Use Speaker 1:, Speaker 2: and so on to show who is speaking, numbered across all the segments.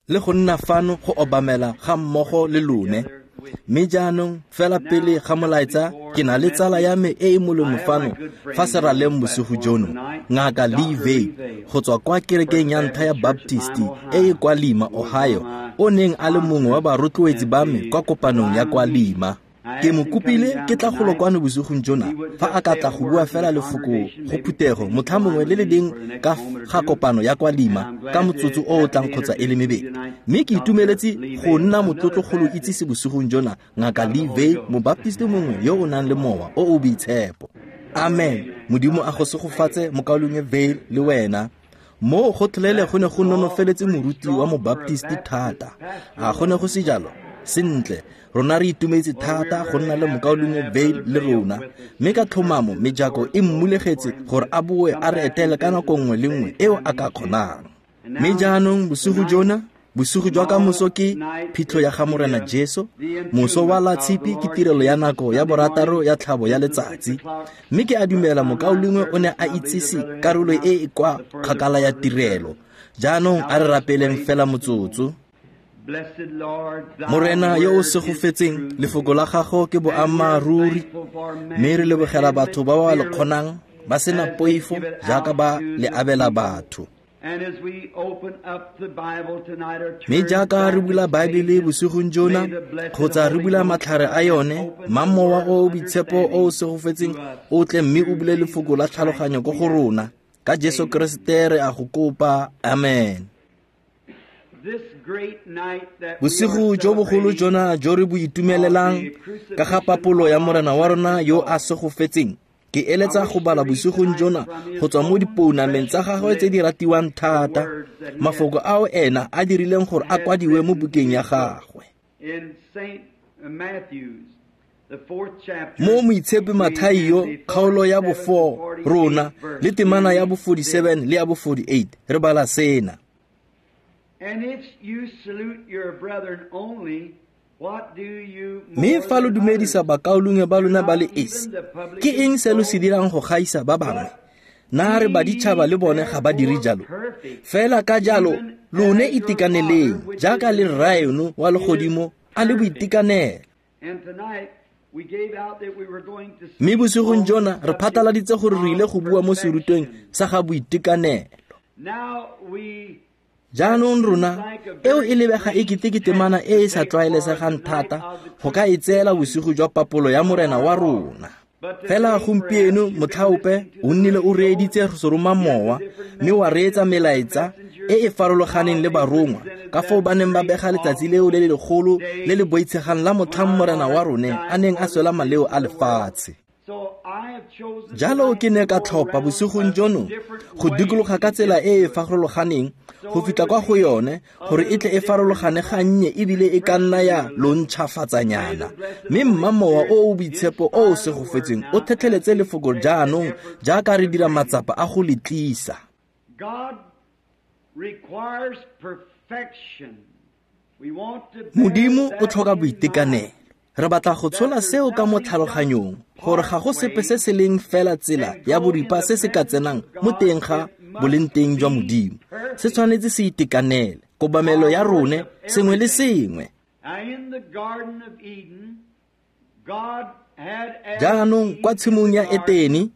Speaker 1: Le go nna fano go obamela ga mmogo le lone. Mme jaanong fela pele ga molaetsa, ke na le tsala ya me e e molemo fano fa seraleng bosigo jono, Ngaka Lee Vayle, go tswa kwa kerekeng ya ntlha ya Baptisti e e kwa Lima, Ohio, o neng a le mongwe wa barotloetsi ba me kwa kopanong ya kwa Lima. Ke mo kopile ke tla golo kwano bosigong jona fa a ka tla go bua fela lefoko go phuthego motlha mongwe le le leng ka ga kopano ya kwa Lima ka motsotso o o tlang kgotsa e le mebedi. Mme ke itumeletse go nna motlotlo go lo itsise bosigong jona Ngaka Lee Vayle, mobaptisti mongwe yo o nang le Mowa o o Boitshepo. Amen. Modimo a go segofatse, Mokaulengwe Vayle, le wena. Moo gotlhelele go ne go nonofeletse moruti wa mobaptisti thata, a go ne go se jalo? Sentle, rona re itumetse thata go nna le Mokaulengwe Vayle le rona, mme ka tlhomamo mejako e mmulegetse gore a boe a re etele ka nako nngwe le nngwe eo a ka kgonang. Mme jaanong bosigo jona, bosigo jwa kamoso ke phitlho ya ga Morena Jesu, moso wa la Tshipi ke tirelo ya nako ya borataro ya tlhabo ya letsatsi. Mme ke a dumela mokaulengwe o ne a itsise karolo e e kwa kgakala ya tirelo. Jaanong a re rapeleng fela motsotso. Morena yo o segofetseng, lefoko la gago ke boammaaruri, mme re lebogela batho ba ba le kgonang ba sena poifo jaaka ba le abela batho. Mme jaaka re bula Baebele bosigong jona, kgotsa re bula matlhare a yone, mma Mowa o o Boitshepo o o segofetseng o tle mme o bule lefoko la tlhaloganyo ko go rona. Ka Jesu Keresete re a go kopa. Amen. Bosigo jo bogolo jona jo re bo itumelelang ka ga papolo ya Morena wa rona yo a segofetseng, ke eletsa go bala bosigong jona go tswa mo dipounameng tsa gagwe tse di ratiwang thata, mafoko ao ena a dirileng gore a kwadiwe mo bukeng ya gagwe. Mo Moitshepi Mathaio, kgaolo ya bo-4 rona le temana ya bo-47 le ya bo-48, re bala sena.
Speaker 2: And if you salute your brethren only,
Speaker 1: Mme fa lo dumedisa bakaulengwe ba lona ba le esi, ke eng se lo se dirang go gaisa ba bangwe? Na re baditšhaba le bone ga ba dire jalo? Fela ka jalo lone itekaneleng jaaka le Rraeno wa legodimo a le boitekanelo. Mme bosigong jona re phataladitse gore re ile go bua mo serutweng sa ga boitekanelo. Jaanong rona, eo e lebega e kete ke temana e e sa tlwaelesegang thata go ka e tseela bosigo jwa papolo ya Morena wa rona. Fela gompieno motlhaope o nnile o reeditse seroma mowa mme wa reetsa melaetsa e e farologaneng le barongwa ka foo ba neng ba bega letsatsi leo le le legolo le le boitshegang la motlhang Morena wa rone a neng a swela maleo a lefatshe. Jalo ke ne ka tlhopha bosigong jono go dikologa ka tsela e e farologaneng go fitlha kwa go yone gore e tle e farologane gannye ebile e ka nna ya lo ntšhafatsanyana. Mme mma Mowa o o Boitshepo o o segofetseng o thetlheletse lefoko jaanong jaaka re dira matsapa a go le tlisa. Modimo o tlhoka boitekanelo. Re batla go tshola seo ka mo tlhaloganyong, gore ga go sepe se se leng fela tsela ya boripa se se ka tsenang mo teng ga bolengteng jwa Modimo. Se tshwanetse se itekanele, kobamelo ya rone, sengwe le sengwe. Jaanong, kwa tshimong ya Etene,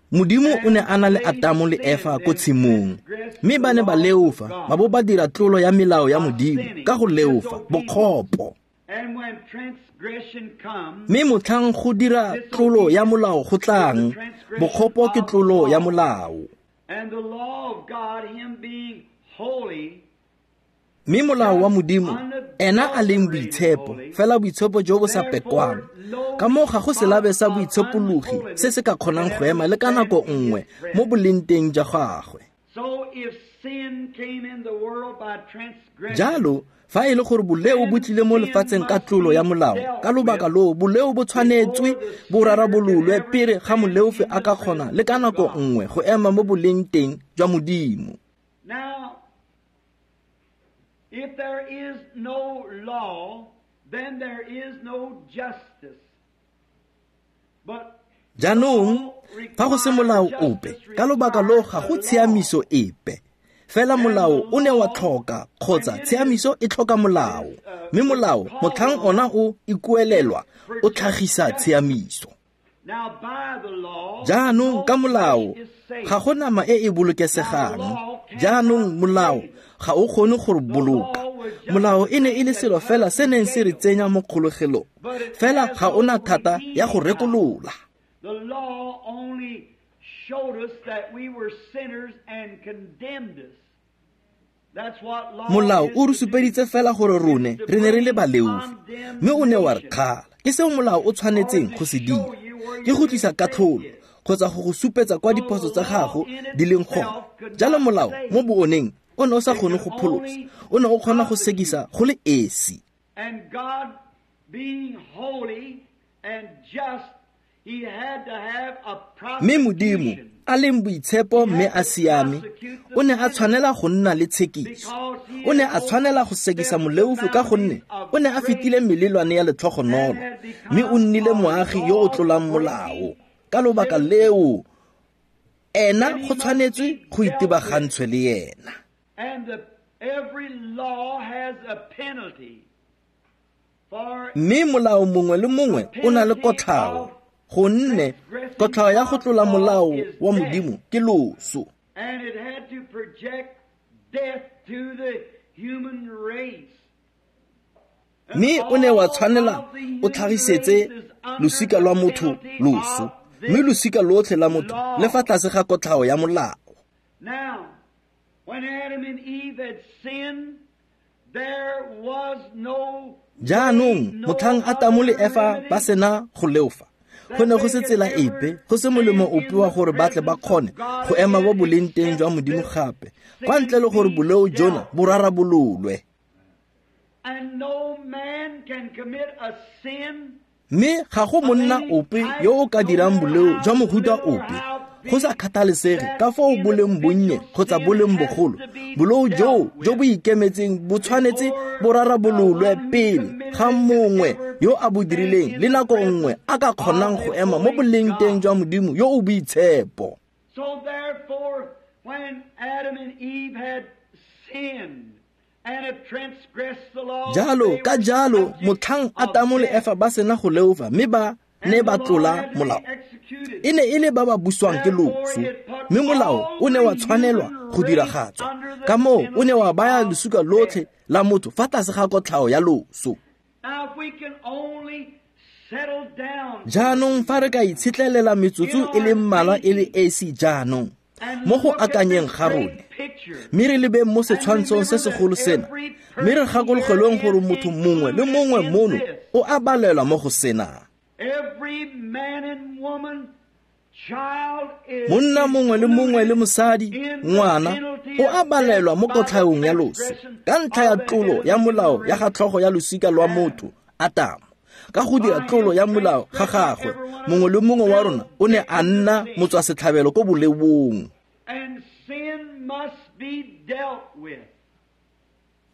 Speaker 1: Modimo o ne a na le Atamo le Efa ko tshimong, mme ba ne ba leofa ba bo ba dira tlolo ya melao ya Modimo ka go leofa, bokgopo. Mme motlhang go dira tlolo ya molao go tlang, bokgopo ke tlolo ya molao. Mme molao wa Modimo, ena a leng boitshepo, fela boitshepo jo bo sa pekwang, ka moo ga go selabe sa boitshepologi se se ka kgonang go ema le ka nako nngwe mo bolengteng jwa gagwe. Jalo, fa e le gore boleo bo tlile mo lefatsheng ka tlolo ya molao, ka lobaka loo boleo bo tshwanetswe bo rarabololwe pele ga moleofi a ka kgona le ka nako nngwe go ema mo bolengteng jwa Modimo.
Speaker 2: If there is no law, then there is no justice. But
Speaker 1: Jaanong, fa go se molao ope, ka lobaka loo ga go tshiamiso epe. Fela molao o ne wa tlhoka kgotsa tshiamiso e tlhoka molao, mme molao motlhang ona o ikuelelwa o tlhagisa tshiamiso. Jaanong ka molao ga go nama e e bolokesegang. Jaanong molao ga o kgone go re boloka. Molao e ne e le selo fela se neng se re tsenya mo kgologelong, fela ga o na thata ya go rekolola.
Speaker 2: The law only showed us that we were sinners and condemned us. That's what law
Speaker 1: Molao
Speaker 2: is
Speaker 1: o re
Speaker 2: to do.
Speaker 1: supeditse fela gore rone re ne re le baleofi, mme o ne wa re kgala. Ke seo molao o tshwanetseng go se dira, ke go tlisa katlholo kgotsa go go supetsa kwa diphoso tsa gago di leng gone. Jalo molao mo booneng o ne o sa kgone go pholosa, o ne o kgona go sekisa go le esi.
Speaker 2: And God being holy and just, he had to have a
Speaker 1: Mme Modimo
Speaker 2: prosecution
Speaker 1: a leng boitshepo mme a siame, o ne a tshwanela go nna le tshekiso. O ne a tshwanela go sekisa moleofi ka gonne o ne a fetile melelwane ya letlhogonolo, mme o nnile moagi yo o tlolang molao. Ka lobaka leo, ena go tshwanetswe go itebagantshwe le ena.
Speaker 2: And every law has a penalty. For
Speaker 1: Mme molao mongwe le mongwe o na le kotlhao, gonne kotlhao ya go tlola molao wa Modimo ke loso.
Speaker 2: And it had to project death to the human race.
Speaker 1: Mme o ne wa tshwanela o tlhagisetse losika lwa motho loso, mme losika lotlhe la motho le fa tlase ga kotlhao ya molao.
Speaker 2: Now, when Adam and Eve had sinned, there was no
Speaker 1: Jaanong motlhang Atamo le Efa ba sena go leofa, go ne go se tsela epe, go se molemo ope wa gore ba tle ba kgone go ema mo boleng teng jwa Modimo gape, kwa ntle le gore boleo jona bo rarabololwe.
Speaker 2: And no man can commit a sin
Speaker 1: Mme ga go monna ope yo o ka dirang boleo jwa mohuta ope, go sa kgathalesege ka foo bo leng bonnye kgotsa bo leng bogolo. Boleo joo jo bo ikemetseng bo tshwanetse bo rarabololwe pele ga mongwe yo a bo dirileng le nako nngwe a ka kgonang go ema mo boleng teng jwa Modimo yo o boitshepo.
Speaker 2: So therefore, when Adam and Eve had sinned and had transgressed the law,
Speaker 1: Jalo ka jalo motlhang Atamo le Efa ba sena go leofa mme ba ne ba tlola molao, e ne e le ba ba buswang ke loso, mme molao o ne wa tshwanelwa go diragatswa. Ka moo o ne wa baya losika lotlhe la motho fa tlase ga kotlhao ya loso.
Speaker 2: Now, if we can only settle down
Speaker 1: Jaanong fa re ka itshetlelela metsotso e le mmalwa e le esi jaanong mo go akanyeng ga rone, mme re lebeng mo setshwantshong se segolo sena, mme re gakologelweng gore motho mongwe le mongwe mono o a balelwa mo go sena.
Speaker 2: Every man and woman, child is
Speaker 1: Monna mongwe le mongwe le mosadi, ngwana, o a balelwa mo kotlhaong ya loso ka ntlha ya tlolo ya molao ya ga tlhogo ya losika lwa motho Atamo. Ka go dira tlolo ya molao ga gagwe, mongwe le mongwe wa rona o ne a nna motswasetlhabelo ko boleong.
Speaker 2: And sin must be dealt with.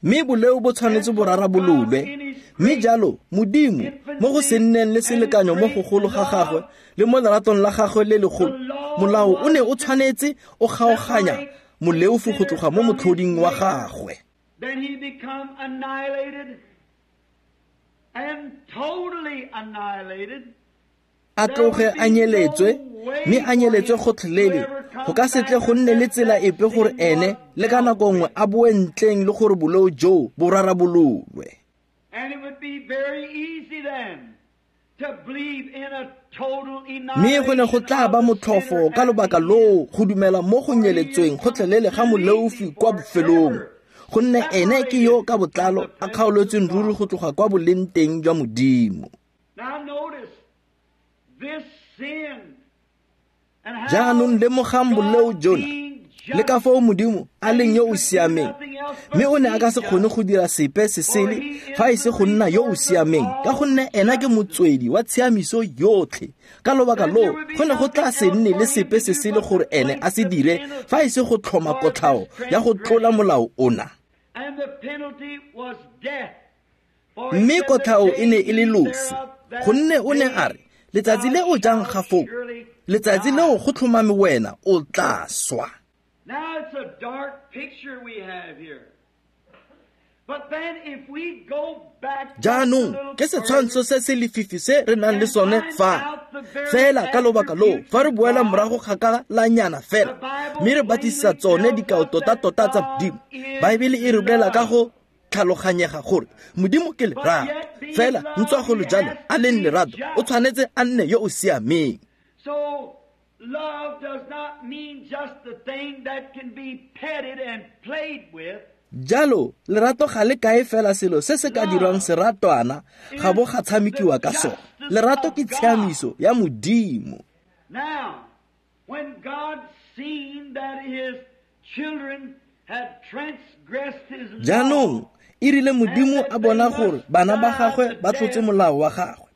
Speaker 1: Mme boleo bo tshwanetse bo rarabololwe. Mme jalo Modimo mo go se nneng le selekanyo mo gogolo ga gagwe le mo leratong la gagwe le legolo, molao o ne o tshwanetse o kgaoganya moleofi go tloga mo motlhoding wa gagwe.
Speaker 2: Then he become annihilated and totally annihilated.
Speaker 1: A tloge a nyeletswe, mme a nyeletswe gotlhelele. Go ka se tle go nne le tsela epe gore ene le ka nako nngwe a boe ntleng le gore boleo joo bo rarabololwe.
Speaker 2: And it would be very easy then to believe in a total
Speaker 1: Mme go ne go tla ba motlhofo ka lobaka loo go dumela mo go nyeletsweng gotlhelele ga moleofi kwa bofelong, gonne ene ke yo ka botlalo a kgaoletsweng ruri go tloga kwa boleng teng jwa Modimo.
Speaker 2: Now notice this sin and how
Speaker 1: Jaanong lemogang boleo jona le ka foo Modimo a leng yo o siameng, mme o ne a ka se kgone go dira sepe se sele fa e se go nna yo o siameng, ka gonne ena ke motswedi wa tshiamiso yotlhe. Ka lobaka loo go ne go tla se nne le sepe se sele gore ene a se dire fa e se go tlhoma kotlhao ya go tlola molao ona.
Speaker 2: And the penalty was death. For he
Speaker 1: Mme
Speaker 2: said,
Speaker 1: kotlhao
Speaker 2: "The
Speaker 1: e ne e le
Speaker 2: day
Speaker 1: loso,
Speaker 2: thereof that
Speaker 1: gonne o ne a re, letsatsi le o jang ga foo, letsatsi leo go tlhomame wena o tla swa. Jaanong ke setshwantsho se se lefifi se re nang le sone fa. Fela ka lobaka loo, fa re boela morago kgakalanyana fela, mme re batlisisa tsone dikao tota-tota tsa Modimo, Baebele e re bolela ka go tlhaloganyega gore Modimo ke lerato. Fela ntswa go le jalo a leng lerato, o tshwanetse a nne yo o siameng.
Speaker 2: So love does not mean just the thing that can be petted and played with.
Speaker 1: Jalo lerato ga le kae fela selo se se ka dirwang seratwana ga bo ga tshamekiwa ka sone. Lerato ke tshiamiso ya Modimo.
Speaker 2: Now, when God seen that his children had transgressed his law,
Speaker 1: Jaanong e rile Modimo a bona gore bana ba gagwe ba tlotse molao wa gagwe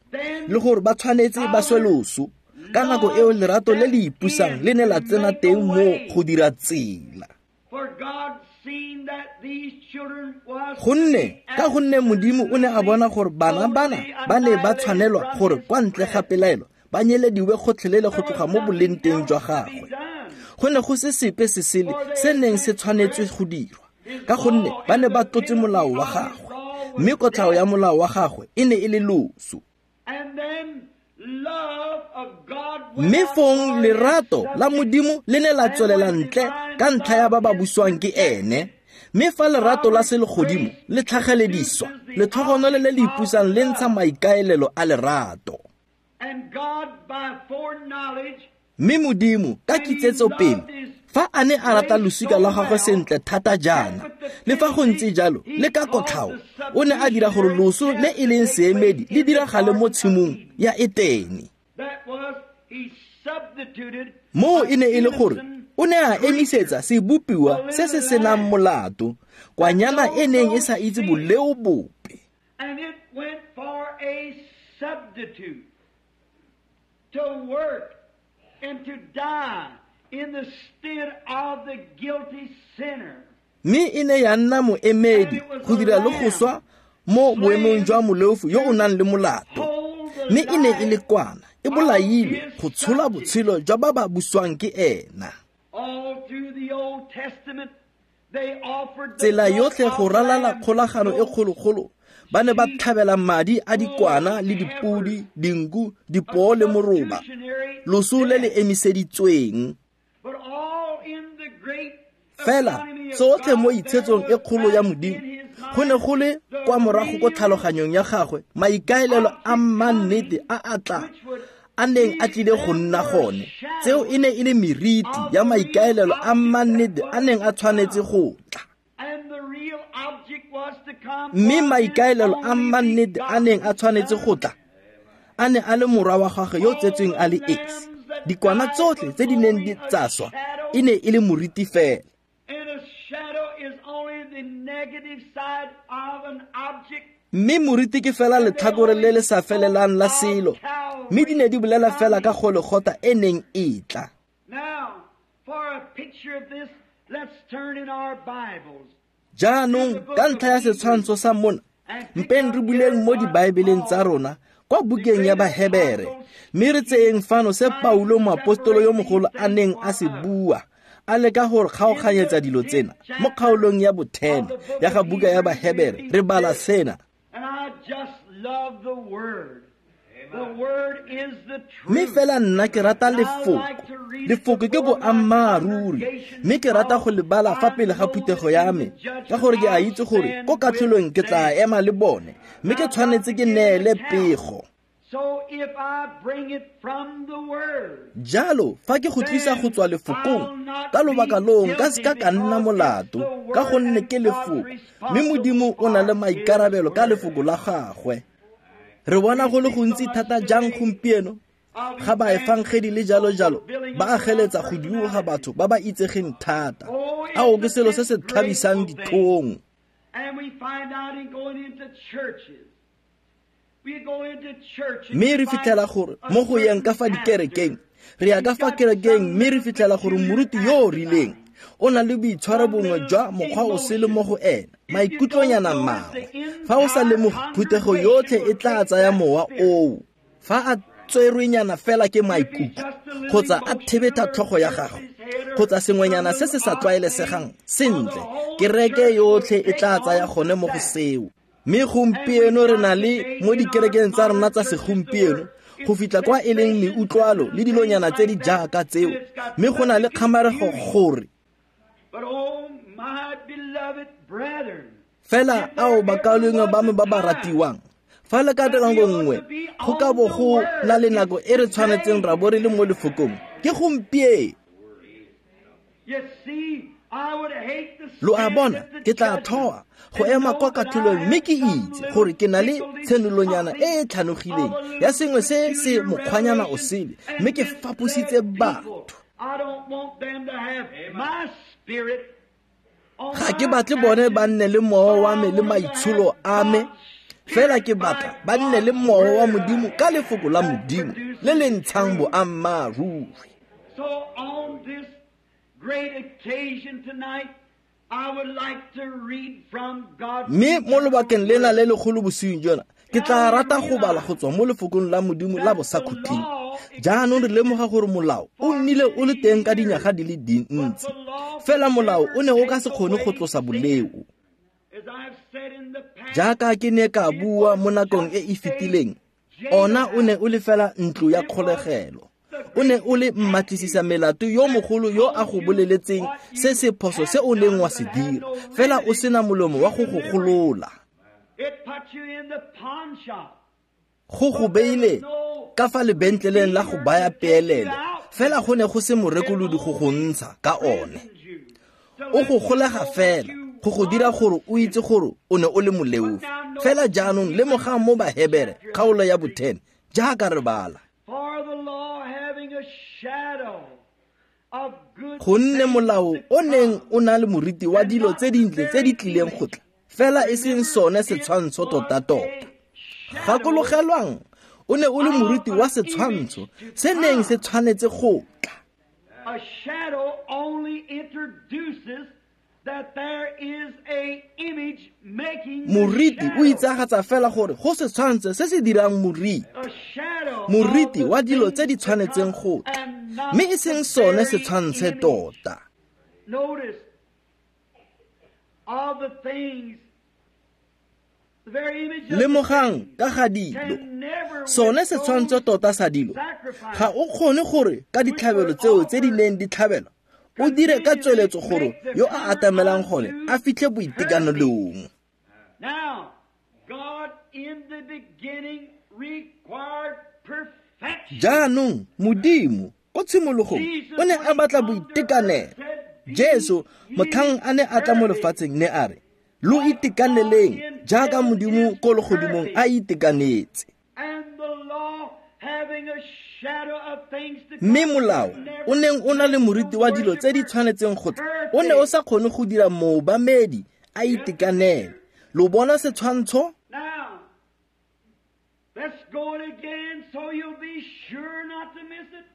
Speaker 1: le gore ba tshwanetse ba swe loso, ka nako eo lerato le le ipusang le ne la tsena teng mo go dira tsela.
Speaker 2: For God seen that these children was
Speaker 1: Gonne ka gonne Modimo o ne a bona gore bana bana ba ne ba tshwanelwa gore kwa ntle ga pelaelo ba nyelediwe gotlhelele go tloga mo boleng teng jwa gagwe. Go ne go se sepe se sele se neng se tshwanetswe go dirwa, ka gonne ba ne ba tlotse molao wa gagwe, mme kotlhao ya molao wa gagwe e ne e le loso.
Speaker 2: And then love of God went
Speaker 1: Mme
Speaker 2: out
Speaker 1: fong
Speaker 2: for
Speaker 1: lerato
Speaker 2: his
Speaker 1: la Modimo le ne la tswelela ntle ka ntlha ya ba ba buswang ke ene. Mme fa lerato la selegodimo le tlhagelediswa, letlhogonolo le le ipusang le ntsha maikaelelo a lerato.
Speaker 2: And God by foreknowledge
Speaker 1: Mme Modimo ka kitsetsopele, fa a ne a rata losika lwa gagwe sentle thata jaana, le fa go ntse jalo le ka kotlhao, o ne a dira gore loso le e leng seemedi le diragale mo tshimong ya Etene.
Speaker 2: that was he substituted
Speaker 1: Moo e ne e le gore o ne a emisetsa sebopiwa se se senang molato, kwanyana e neng e sa itse boleo bope.
Speaker 2: And it went for a substitute to work and to die in the stead of the guilty sinner.
Speaker 1: Mme e ne ya nna moemedi go dira le go swa mo boemong jwa moleofi yo o nang le molato.
Speaker 2: Hold the
Speaker 1: Mme e ne e le
Speaker 2: life
Speaker 1: kwana e bolailwe go tshola botshelo jwa ba ba buswang ke ena.
Speaker 2: All through the Old Testament, they offered the
Speaker 1: Tsela
Speaker 2: blood
Speaker 1: yotlhe go
Speaker 2: of
Speaker 1: ralala
Speaker 2: lambs,
Speaker 1: kgolagano e
Speaker 2: goats,
Speaker 1: kgologolo, ba ne ba tlhabela madi a dikwana le dipodi, dinku, dipoo le moroba,
Speaker 2: substitutionary
Speaker 1: loso le le
Speaker 2: death.
Speaker 1: emiseditsweng.
Speaker 2: But all in the great
Speaker 1: Fela
Speaker 2: economy of
Speaker 1: tsotlhe mo
Speaker 2: God,
Speaker 1: itshetsong
Speaker 2: there
Speaker 1: e kgolo ya
Speaker 2: was
Speaker 1: Modimo,
Speaker 2: in his
Speaker 1: go ne go le
Speaker 2: mind the
Speaker 1: kwa morago ko
Speaker 2: real
Speaker 1: tlhaloganyong ya gagwe maikaelelo a mannete a a tla a neng a tlile go nna gone. Tseo e ne e le meriti ya maikaelelo a mannete a neng a tshwanetse go tla.
Speaker 2: And the real object was to come
Speaker 1: Mme
Speaker 2: was his
Speaker 1: maikaelelo a
Speaker 2: only
Speaker 1: mannete a neng a
Speaker 2: begotten
Speaker 1: tshwanetse go
Speaker 2: Son.
Speaker 1: tla a ne a le morwa wa gagwe yo o tsetsweng a le esi. Dikwana tsotlhe tse di neng di tsa swa e ne e le moriti fela.
Speaker 2: And a shadow is only the negative side of an object.
Speaker 1: Mme moriti ke fela letlhakore le le sa felelang la selo, mme di ne di bolela fela ka Golegotha e neng e tla.
Speaker 2: Now, for a picture of this, let's turn in our Bibles.
Speaker 1: Jaanong ka ntlha ya setshwantsho sa mona, mpeng re buleng mo dibaebeleng tsa rona kwa bukeng ya Bahebere, mme re tseyeng fano se Paulo moapostolo yo mogolo a neng a se bua, a leka go re kgaoganyetsa dilo tsena. Mo kgaolong ya bo-10 ya ga buka ya Bahebere re bala sena.
Speaker 2: And I just love the Word. The Word is the
Speaker 1: Mme
Speaker 2: truth.
Speaker 1: fela nna ke rata lefoko. Lefoko ke boammaaruri, mme ke rata go le bala fa pele ga phuthego ya me, ka gore ke a itse gore ko katlholong ke tla ema le bone, mme ke tshwanetse ke neele pego.
Speaker 2: So if I bring it from the Word,
Speaker 1: Jalo fa ke go tlisa go tswa lefokong, ka lobaka loo nka seka ka nna molato, ka gonne ke lefoko, mme Modimo o na le maikarabelo ka lefoko la gagwe. Re bona go le gontsi thata jang gompieno ga baefangedi le jalo jalo ba ageletsa go dioga batho ba ba itsegeng thata. Ao ke selo se se tlhabisang ditlhong.
Speaker 2: And we find out in going into churches. We go into church and
Speaker 1: Mme re
Speaker 2: we find
Speaker 1: fitlhela gore
Speaker 2: a
Speaker 1: mo go yeng ka fa
Speaker 2: certain
Speaker 1: dikerekeng,
Speaker 2: pastor.
Speaker 1: re ya ka fa kerekeng mme re fitlhela gore moruti yo o rileng o na le boitshwaro bongwe jwa mokgwa o sele mo go ena, maikutlonyana mangwe. Fa o sa lemoge, phuthego yotlhe e tla tsaya mowa oo. Fa a tserwenyana fela ke maikutlo kgotsa a thebetha tlhogo ya gagwe, kgotsa sengwenyana se se sa tlwaelesegang, sentle, kereke yotlhe e tla tsaya gone mo go seo. Mme gompieno re na le mo dikerekeng tsa rona tsa segompieno go fitlha kwa e leng meutlwalo le dilonyana tse di jaaka tseo, mme go na le kgamarego gore fela ao bakaulengwe ba me ba ba ratiwang, fa le ka nako nngwe go ka bo go na le nako e re tshwanetseng ra bo re le mo lefokong, ke gompieno. Lo a bona, ke tla thoa go ema kwa katlholong mme ke itse gore ke na le tshenolonyana e e tlhanogileng ya sengwe se se mokgwanyana o sele, mme ke fapositse batho. Ga ke batle bone ba nne le mowa wa me le maitsholo a me, fela ke batla ba nne le mowa wa Modimo ka lefoko la Modimo le le ntshang boammaaruri. Mme mo lobakeng lena le legolo bosiung jona, ke tla rata go bala go tswa mo lefokong la Modimo la bosakhutleng. Jaanong re lemoga gore molao o nnile o le teng ka dinyaga di le dintsi, fela molao o ne o ka se kgone go tlosa boleo. Jaaka ke ne ka bua mo nakong e e fetileng, ona o ne o le fela ntlo ya kgolegelo. O ne o le mmatlisisa melato yo mogolo yo a go boleletseng se se phoso se o leng wa se dira, fela o sena molomo wa go go golola. Go go beile ka fa lebentleleng la go baya peelelo, fela go ne go se morekolodi go go ntsha ka one. O go golega fela go go dira gore o itse gore o ne o le moleofi. Fela jaanong lemogang mo Bahebere kgaolo ya bo-10 jaaka re bala. Gonne molao o neng o na le moriti wa dilo tse dintle tse di tlileng go tla, fela e seng sone setshwantsho tota-tota. Gakologelwang, o ne o le moriti wa setshwantsho se neng se tshwanetse go tla.
Speaker 2: A shadow only introduces that there is a image making.
Speaker 1: Moriti o itsagatsa fela gore go setshwantsho se se dirang moriti. Moriti wa dilo tse di tshwanetseng go tla, mme e seng sone setshwantshe tota.
Speaker 2: Notice all the things, the very image of
Speaker 1: Lemogang ka ga dilo, sone setshwantsho tota sa dilo, ga o kgone gore ka ditlhabelo tseo tse di neng di tlhabelwa o dire ka tsweletso gore yo a atamelang gone a fitlhe boitekanelong.
Speaker 2: Now, God in the beginning required perfection.
Speaker 1: Jaanong Modimo ko tshimologong o ne a batla boitekanelo. Jesu motlhang a ne a tla mo lefatsheng ne a re, lo itekaneleng jaaka Modimo ko legodimong a itekanetse.
Speaker 2: And the law having a shadow of things to
Speaker 1: Mme
Speaker 2: come,
Speaker 1: molao o neng o na le moriti wa dilo tse di tshwanetseng go tla, o ne o sa kgone go dira moobamedi a itekanele. Lo bona setshwantsho?
Speaker 2: Now, let's go it again so you'll be sure not to miss it.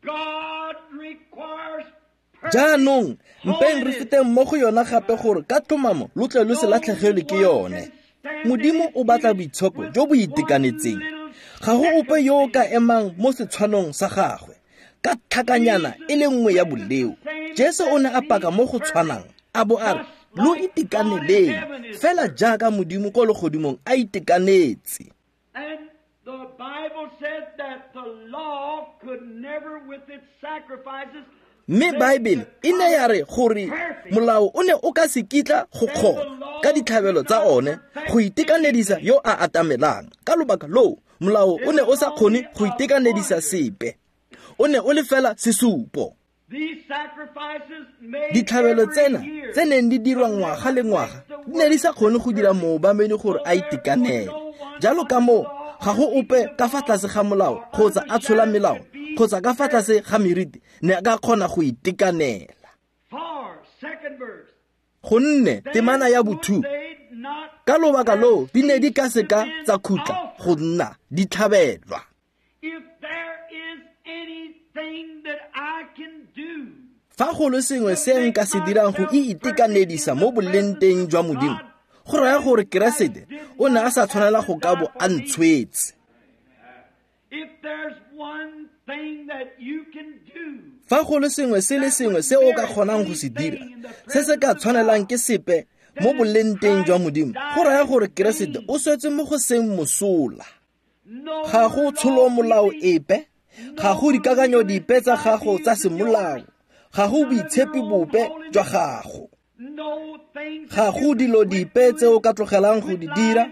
Speaker 2: God requires perfect
Speaker 1: Jaanong mpeng re
Speaker 2: holiness.
Speaker 1: feteng mo go yona gape gore ka tlhomamo lo tle lo se latlhegelwe ke yone. Modimo o batla boitshoko jo bo itekanetseng. Ga go ope yo o ka emang mo setshwanong sa gagwe ka tlhakanyana e le nngwe ya boleo. Jesu o ne a paka mo go tshwanang, a bo a re, lo itekaneleng fela jaaka Modimo ko legodimong a itekanetse.
Speaker 2: And the Bible said that the law could never with its sacrifices
Speaker 1: Mme Baebele e ne ya re gore molao o ne o ka se kitla go kgona ka ditlhabelo tsa one go itekanedisa yo a atamelang. Ka lobaka loo, molao o ne o sa kgone go itekanedisa sepe. O ne o le fela sesupo.
Speaker 2: These sacrifices made
Speaker 1: Ditlhabelo
Speaker 2: every
Speaker 1: tsena
Speaker 2: year
Speaker 1: tse neng di dirwa ngwaga le ngwaga di ne di sa kgone go dira moobamedi gore a itekanele. Jalo ka moo, ga go ope ka fa tlase ga molao kgotsa a tshola melao kgotsa ka fa tlase ga meriti ne a ka kgona go itekanela.
Speaker 2: For, second verse.
Speaker 1: Gonne temana ya bo-2,
Speaker 2: They not
Speaker 1: ka lobaka loo di ne di ka seka tsa khutla go nna di tlhabelwa.
Speaker 2: If there is anything that I can do
Speaker 1: Fa go le sengwe se nka se dirang go itekanedisa mo bolengteng jwa Modimo, go raya gore Keresete o ne a sa tshwanela go ka bo a ntshwetse.
Speaker 2: If there's one
Speaker 1: Fa go le sengwe se le sengwe se o ka kgonang go se dira, se se ka tshwanelang ke sepe mo bolengteng jwa Modimo, go raya gore Keresete o swetse mo go seng mosola. Ga go tsholomolao epe, ga go dikakanyo dipe tsa gago tsa semolao, ga go boitshepi bope jwa gago. Ga go dilo dipe tse o ka tlogelang go di dira,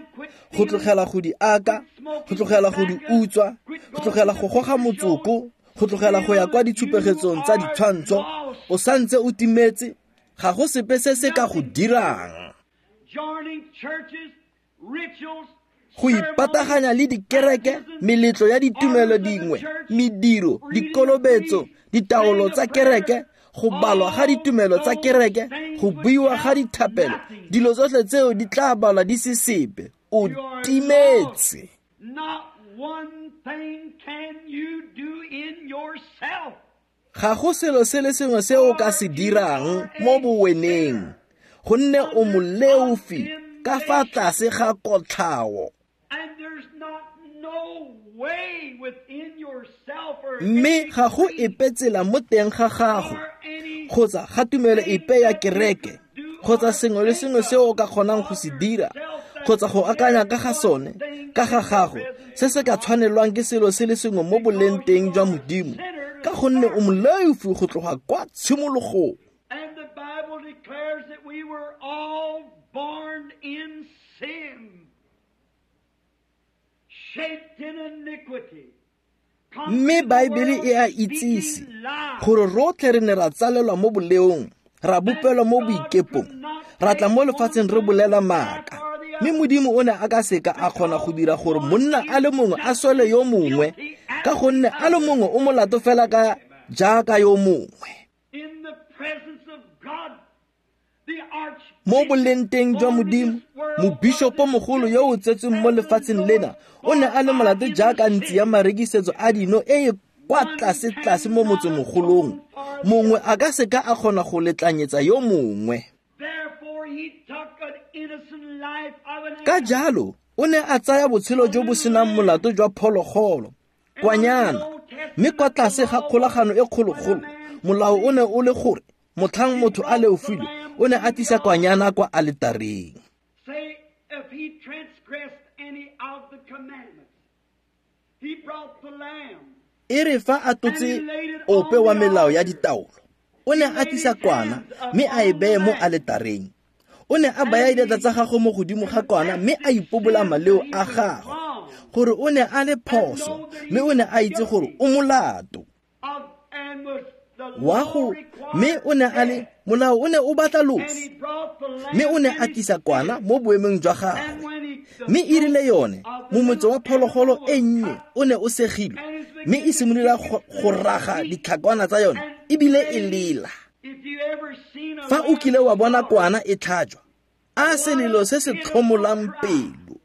Speaker 1: go tlogela go di aka, go tlogela go di utswa, go tlogela go goga motsoko, go tlogela go ya kwa ditshupegetsong tsa ditshwantsho, o santse o timetse, ga go sepe se se ka go dirang. Go ipataganya le dikereke, meletlo ya ditumelo dingwe, mediro, dikolobetso, ditaolo tsa kereke, go balwa ga ditumelo tsa kereke, go buiwa ga dithapelo, dilo tsotlhe tseo di tla balwa di se sepe. O timetse. Ga go selo se le sengwe se o ka se dirang mo boweneng, gonne o moleofi ka fa tlase ga kotlhao. Mme ga go epe tsela mo teng ga gago, kgotsa ga tumelo epe ya kereke, kgotsa sengwe le sengwe se o ka kgonang go se dira, kgotsa go akanya ka ga sone, ka ga gago, se se ka tshwanelwang ke selo se le sengwe mo boleng teng jwa Modimo, ka gonne o moleofi go tloga kwa tshimologong.
Speaker 2: And the Bible declares that we were all born in sin, shaped in iniquity.
Speaker 1: Mme Baebele e a itsise gore rotlhe re ne ra tsalelwa mo boleong, ra bopelwa mo boikepong, ra tla mo lefatsheng re bolela maaka. Mme Modimo o ne a ka seka a kgona go dira gore monna a le mongwe a swele yo mongwe, ka gonne a le mongwe o molato fela ka jaaka yo mongwe. Mo bolengteng jwa Modimo, mobishopo mogolo yo o tsetsweng mo lefatsheng lena o ne a le molato jaaka ntsi ya marekisetso a dino e e kwa tlase-tlase mo motsemogolong. Mongwe a ka seka a kgona go letlanyetsa yo mongwe. Ka jalo, o ne a tsaya botshelo jo bo senang molato jwa phologolo, kwanyana, mme kwa tlase ga kgolagano e kgologolo, molao o ne o le gore motlhang motho a leofile, o ne a tlisa kwanyana kwa aletareng. E re fa a tlotse ope wa melao ya ditaolo, o ne a tlisa kwana mme a e beye mo aletareng. O ne a baya diatla tsa gagwe mo godimo ga kwana mme a ipobola maleo a gagwe, gore o ne a le phoso, mme o ne a itse gore o molato. Wa go, mme o ne a le molao o ne o batla loso, mme o ne a tlisa kwana mo boemong jwa gagwe. Mme e rile yone momotso wa phologolo e nnye o ne o segilwe, mme e simolola go raga ditlhakwana tsa yone ebile e lela. Fa o kile wa bona kwana e tlhajwa, a selelo se se tlhomolang pelo.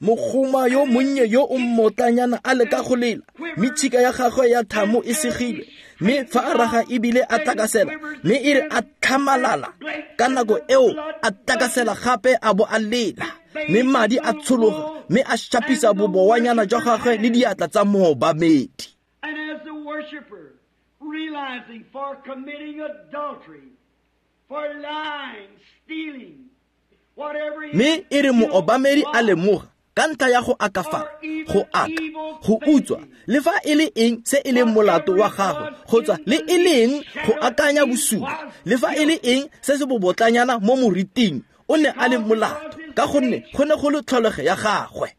Speaker 1: Mogoma yo monnye yo o mmotlanyana a leka go lela, mme tshika ya gagwe ya thamo e segilwe, mme fa a raga ebile a tlakasela, mme e re a tlhamalala ka nako eo a tlakasela gape a bo a lela, mme madi a tshologa, mme a shapisa bobowanyana jwa gagwe le diatla tsa moobamedi. Mme e re moobamedi a lemoga ka ntlha ya go akafala, go aka, go utswa, le fa e le eng se e leng molato wa gagwe, kgotsa le e leng go akanya bosula, le fa e le eng se se bobotlanyana mo moriting, o ne a le molato, ka gonne go ne go le tlholego ya gagwe.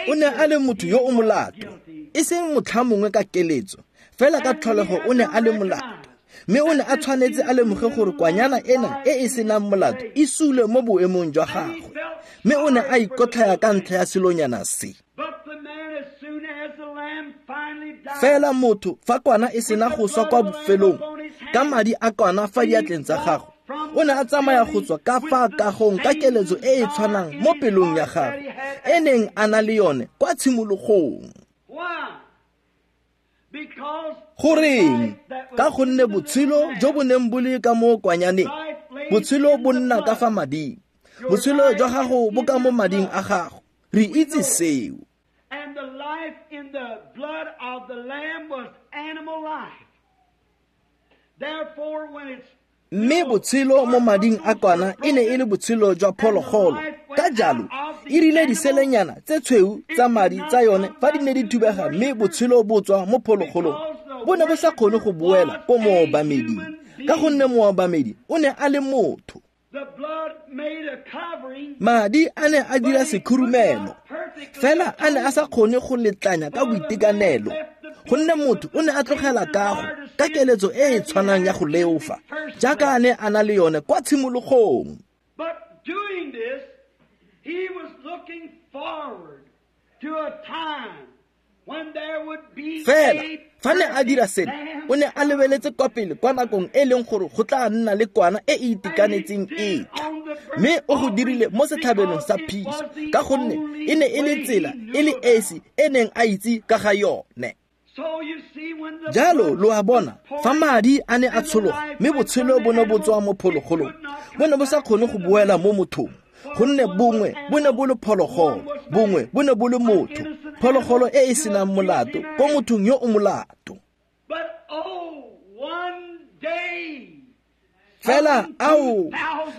Speaker 1: O ne a le motho yo o molato, e seng motlha mongwe ka keletso, fela ka tlholego o ne a le molato. Mme o ne a tshwanetse a lemoge gore kwanyana ena e e senang molato e sule mo boemong jwa gagwe, mme o ne a ikotlhaya ka ntlha ya selonyana se. Fela motho fa kwana e sena go swa kwa bofelong, ka madi a kwana fa diatleng tsa gagwe, o ne a tsamaya go tswa ka fa kagong ka keletso e e tshwanang mo pelong ya gagwe e neng a na le yone kwa tshimologong. Goreng? Ka gonne botshelo jo bo neng bo le ka mo kwanyaneng, botshelo bo nna ka fa mading. Botshelo jwa gago bo ka mo mading a gago. Re itse seo.
Speaker 2: And the life in the blood of the lamb was animal life. Therefore, when it's
Speaker 1: Mme botshelo mo mading a kwana e ne e le botshelo jwa phologolo. Ka jalo, e rile diselenyana tse tshweu tsa madi tsa yone fa di ne di thubega mme botshelo bo tswa mo phologolong, bo ne bo sa kgone go boela ko moobameding, ka gonne moobamedi o ne a le motho.
Speaker 2: the blood made a covering,
Speaker 1: Madi a ne a dira sekhurumelo, fela a ne a sa kgone go letlanya ka boitekanelo, gonne motho o ne a tlogela kago ka keletso e e tshwanang ya go leofa jaaka a ne a na le yone kwa tshimologong.
Speaker 2: But doing this, he was looking forward to a time when there would be
Speaker 1: Fela
Speaker 2: a
Speaker 1: fa ne a dira seno, o ne a lebeletse kwa pele kwa nakong e leng gore go tla nna le kwana e e itekanetseng e tla. Mme o go dirile mo setlhabelong sa phiso, ka gonne e ne e le tsela e le esi e neng a itse ka ga yone.
Speaker 2: So you see, when the
Speaker 1: Jalo
Speaker 2: blood
Speaker 1: lo a bona,
Speaker 2: was
Speaker 1: fa
Speaker 2: poured
Speaker 1: madi a ne a tshologa mme botshelo bo ne bo tswa mo phologolong, bo ne bo sa kgone go boela mo mothong, gonne bongwe bo ne bo le phologolo, bongwe bo ne bo le motho, phologolo e e senang molato ko mothong yo o molato.
Speaker 2: But oh, one day,
Speaker 1: Fela ao,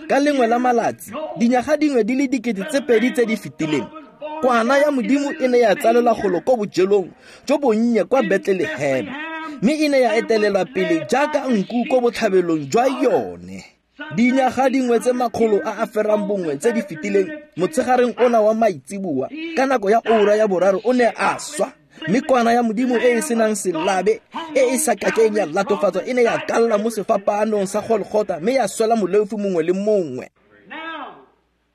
Speaker 1: ka lengwe la malatsi, dinyaga dingwe di le 2000 tse di fetileng, kwana ya Modimo e ne ya tsalelwa golo ko bojelong jo bonnye kwa Bethlehema, mme e ne ya etelelwa pele jaaka nku ko botlhabelong jwa yone. Dinyaga dingwe tse 101 tse di fetileng, motshegareng ona wa maitseboa, ka nako ya ura ya 3 o ne a swa, mme kwana ya Modimo e e senang selabe, e e sa kakeng ya latofatswa, e ne ya kalla mo sefapaanong sa Golgotha mme ya swela moleofi mongwe le mongwe.
Speaker 2: Now,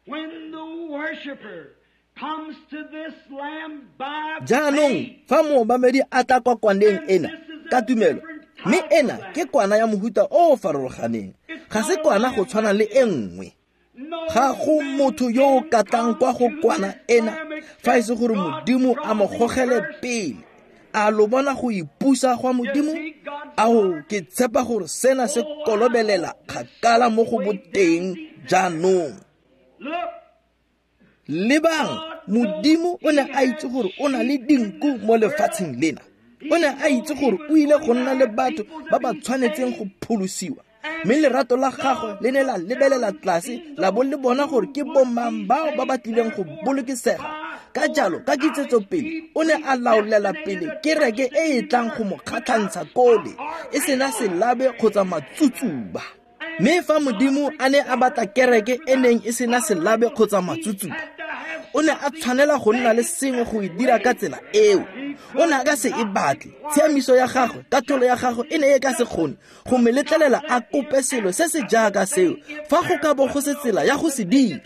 Speaker 2: when the worshiper comes to this lamb by
Speaker 1: Jaanong
Speaker 2: faith,
Speaker 1: fa moobamedi a tla kwa kwaneng ena ka tumelo, mme ena ke kwana ya mohuta o o farologaneng, ga se kwana go tshwana le e nngwe.
Speaker 2: no
Speaker 1: Ga go motho yo o ka tlang kwa go kwana ena fa e se gore Modimo a mo gogele pele. A lo bona go ipusa gwa Modimo? Ao, ke tshepa gore sena se kolobelela kgakala mo go boteng jaanong.
Speaker 2: Look,
Speaker 1: Lebang, Modimo o ne a itse gore o na le dinku mo lefatsheng lena. O ne a itse gore o ile go nna le batho ba ba tshwanetseng go pholosiwa. Mme lerato la gagwe le ne la lebelela tlase la bo le bona gore ke bomang bao ba ba tlileng go bolokesega. Ka jalo, ka kitsetsopele, o ne a laolela pele kereke e e tlang go mo kgatlhantsha kole, e sena selabe kgotsa matsutsuba. Mme fa Modimo a ne a batla kereke e neng e sena selabe kgotsa matsutsuba, o ne a tshwanela go nna le sengwe go e dira ka tsela eo. O ne a ka se e batle. Tshiamiso ya gagwe, katlholo ya gagwe e ne e ka se kgone go mo letlelela a kope selo se se jaaka seo fa go ka bo go se tsela ya go se dira.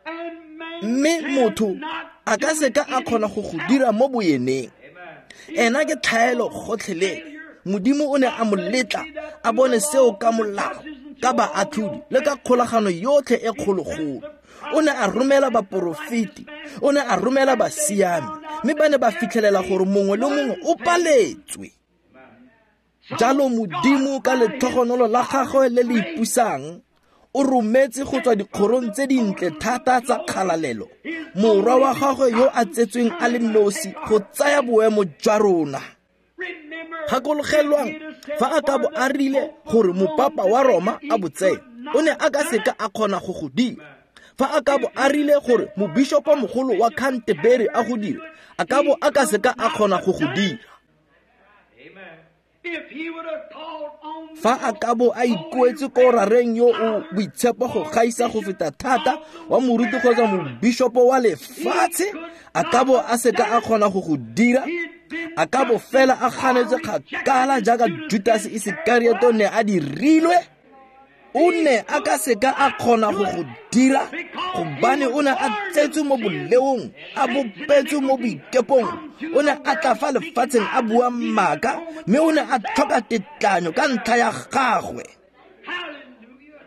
Speaker 2: and man
Speaker 1: Mme motho a ka se ka a kgona go go dira mo boyeneng. Ena ke tlhaelo gotlhelele. Modimo o ne a mo letla a bone seo ka molao, ka baatlhodi le ka kgolagano yotlhe e kgologolo. O ne a romela baporofeti, o ne a romela basiami, mme ba ne ba fitlhelela gore mongwe le mongwe o paletswe. Jalo Modimo ka letlhogonolo la gagwe le le ipusang, o rometse go tswa dikgorong tse dintle thata tsa kgalalelo morwa wa gagwe yo a tsetsweng a le nosi go tsaya boemo jwa rona.
Speaker 2: remember,
Speaker 1: Gakologelwang, fa a ka bo a rile gore mopapa wa Roma a bo tseye, o ne a ka seka a kgona go go dira. Fa a ka bo a rile gore mobishopo mogolo wa Canterbury a go dire, a ka bo a ka seka a kgona go go dira.
Speaker 2: if he would have called on
Speaker 1: Fa a ka bo a ikuetse ko rareng yo o boitshepo go gaisa go feta thata wa moruti kgotsa mobishopo wa lefatshe, a ka bo a seka a kgona go go dira. A ka bo fela a ganetswe kgakala jaaka Judas Isekariote ne a dirilwe. O ne a ka seka a kgona go go dira, gobane o ne a tsetswe mo boleong, a bopetswe mo boikepong. O ne a tla fa lefatsheng a bua maaka, mme o ne a tlhoka tetlanyo ka ntlha ya gagwe.
Speaker 2: Hallelujah.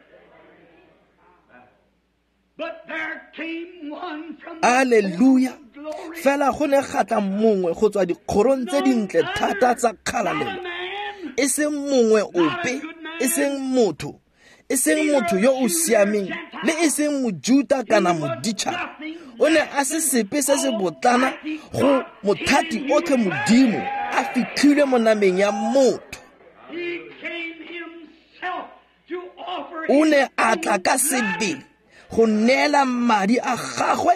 Speaker 2: But there came one from the
Speaker 1: Alleluia. Fela go ne ga tla mongwe go tswa dikgorong tse dintle thata tsa kgalalelo, e seng mongwe ope, e seng motho, e seng motho yo o siameng, le e seng Mojuta kana moditšhaba. O ne a se sepe se se botlana go mothati otlhe Modimo a fitlhilwe mo nameng ya motho. O ne a tla ka sebele go neela madi a gagwe,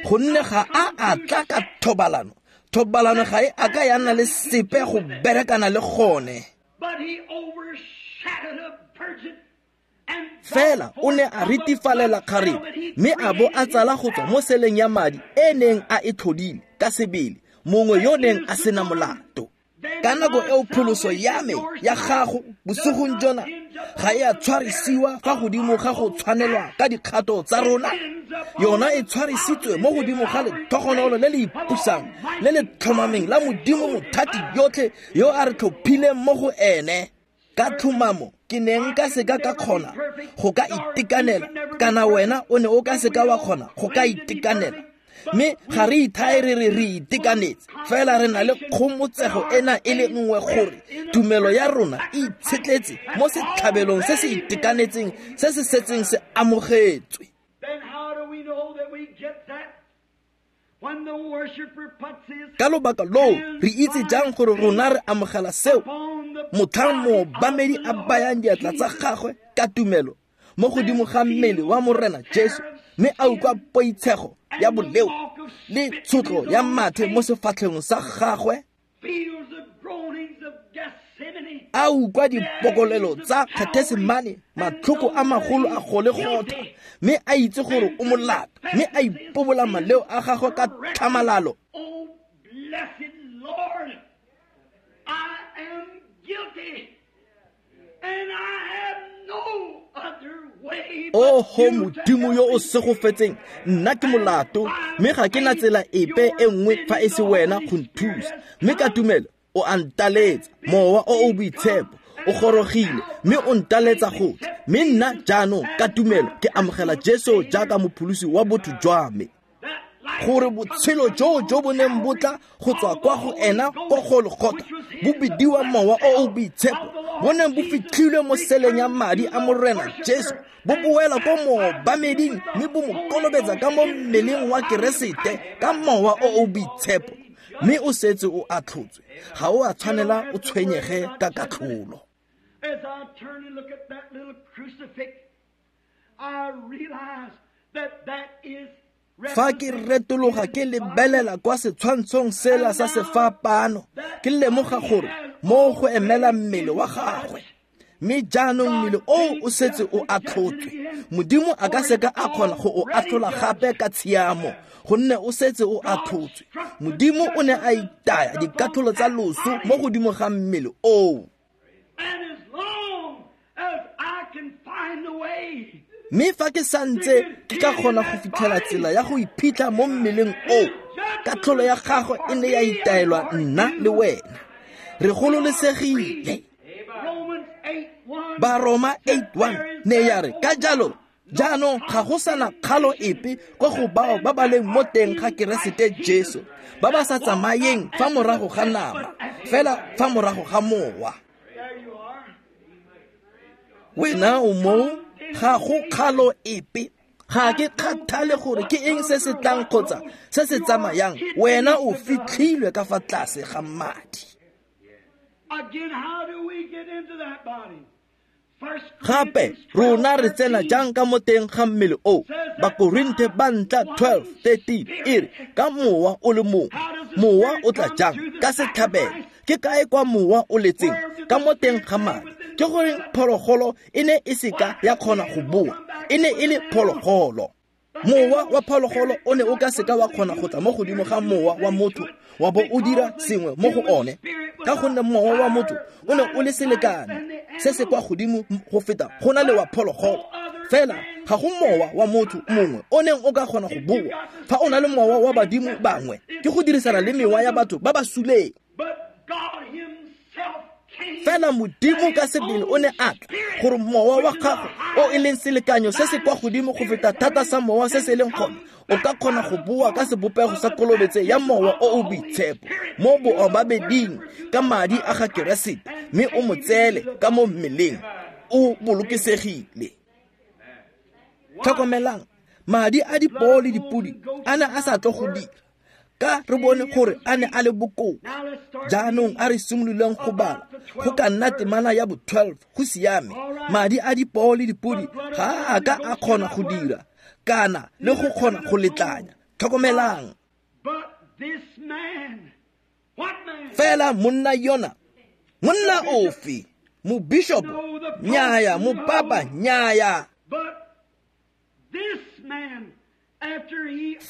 Speaker 1: gonne ga a a tla ka thobalano. Thobalano ga e a ka ya nna le sepe go berekana le gone. Fela o ne a ritifalela kgarebe, mme a bo a tsala go tswa mo seleng ya madi e neng a e tlhodile ka sebele, mongwe yo neng a sena molato. Ka nako eo pholoso ya me ya gago bosigong jona ga e a tshwarisiwa fa godimo ga go tshwanelwa ka dikgato tsa rona. Yona e tshwarisitswe mo godimo ga letlhogonolo le le ipusang le le tlhomameng la Modimo mothati yotlhe yo a re tlhophileng mo go ene. Ka tlhomamo ke ne nka seka ka kgona go ka itekanela, kana wena o ne o ka seka wa kgona go ka itekanela. Mme ga re ithae re re re itekanetse, fela re na le kgomotsego ena e le nngwe gore tumelo ya rona e itshetletse mo setlhabelong se se itekanetseng se se setseng se amogetswe. Ka lobaka loo re itse jang gore rona re amogela seo? Motlhang moobamedi a bayang diatla tsa gagwe ka tumelo mo godimo ga mmele wa Morena Jesu, mme a utlwa poitshego ya boleo le tshotlo ya mathe mo sefatlhegong sa gagwe, a utlwa dipokolelo tsa Gethesemane, matlhoko a magolo a Golegotha, mme a itse gore o molato, mme a ipobola maleo a gagwe ka tlhamalalo. Oho Modimo yo o segofetseng, nna ke molato, mme ga ke na tsela epe e nngwe fa e se wena go nthusa. Mme ka tumelo o a ntaletsa, Mowa o o Boitshepo o gorogile mme o ntaletsa go tla. Mme nna jaanong ka tumelo ke amogela Jesu jaaka mopholosi wa botho jwa me, gore botshelo joo jo bo neng bo tla go tswa kwa go ena kwa Golgotha bo bidiwa Mowa o o Boitshepo, bo neng bo fitlhilwe mo seleng ya madi a Morena Jesu, bo boela ko moobameding mme bo mo kolobetsa ka mo mmeleng wa Keresete ka Mowa o o Boitshepo. Mme o setse o atlhotswe, ga o a tshwanela o tshwenyege ka katlholo.
Speaker 2: As I turn and look at that little crucifix, I realize that that is
Speaker 1: Fa ke retologa ke lebelela kwa setshwantshong sela sa sefapano, ke lemoga gore mo go emela mmele wa gagwe. Mme jaanong mmele oo o setse o atlhotswe. Modimo a ka seka a kgona go o atlhola gape ka tshiamo, gonne o setse o atlhotswe. Modimo o ne a itaya dikatlholo tsa loso mo godimo ga mmele oo. Mme fa ke santse ke ka kgona go fitlhela tsela ya go iphitlha mo mmeleng oo, katlholo ya gagwe e ne ya itaelwa nna le wena. Re gololesegile. Baroma 8:1 ne ya re, ka jalo jaanong ga go sana kgalo epe kwa go bao ba ba leng mo teng ga Keresete Jesu, ba ba sa tsamayeng fa morago ga nama, fela fa morago ga mowa. Wena o moo, ga go kgalo epe. Ga ke kgathale gore ke eng se se tlang kgotsa se se tsamayang, wena o fitlhilwe ka fa tlase ga madi. Gape rona re tsena jang ka mo teng ga mmele o? Bakorinthe ba ntlha 12:13 e re, ka mowa o le mongwe. Mowa o tla jang? Ka setlhabelo. Ke kae kwa mowa o letseng? Ka mo teng ga madi. Ke goreng phologolo e ne e seka ya kgona go boa? E ne e le phologolo. Mowa wa phologolo o ne o ka seka wa kgona go tla mo godimo ga mowa wa motho wa bo o dira sengwe mo go one, ka gonne mowa wa motho o ne o le selekane se se kwa godimo go feta go na le wa phologolo. Fela ga go mowa wa motho mongwe o neng o ka kgona go boa. Fa o na le mowa wa badimo bangwe, ke go dirisana le mewa ya batho ba ba suleng. Fela Modimo ka sebele o ne a tla gore mowa wa gago o e leng selekanyo se se kwa godimo go feta thata sa mowa se se leng gone, o ka kgona go boa ka sebopego sa kolobetse ya mowa o o boitshepo mo boobabeding ka madi a ga Keresete, mme o mo tseele ka mo mmeleng, o bolokesegile. Tlhokomelang, madi a dipoo le dipodi a ne a sa tlo go dira, ka re bone gore a ne a le bokoa. Jaanong a re simololeng go bala go ka nna temana ya bo-12. Go siame, madi a dipoo le dipodi ga a ka a kgona go dira kana le go kgona go letlanya. Tlhokomelang, fela monna yona, monna ofe? Mobishopo? Nnyaya. Mopapa? Nnyaya.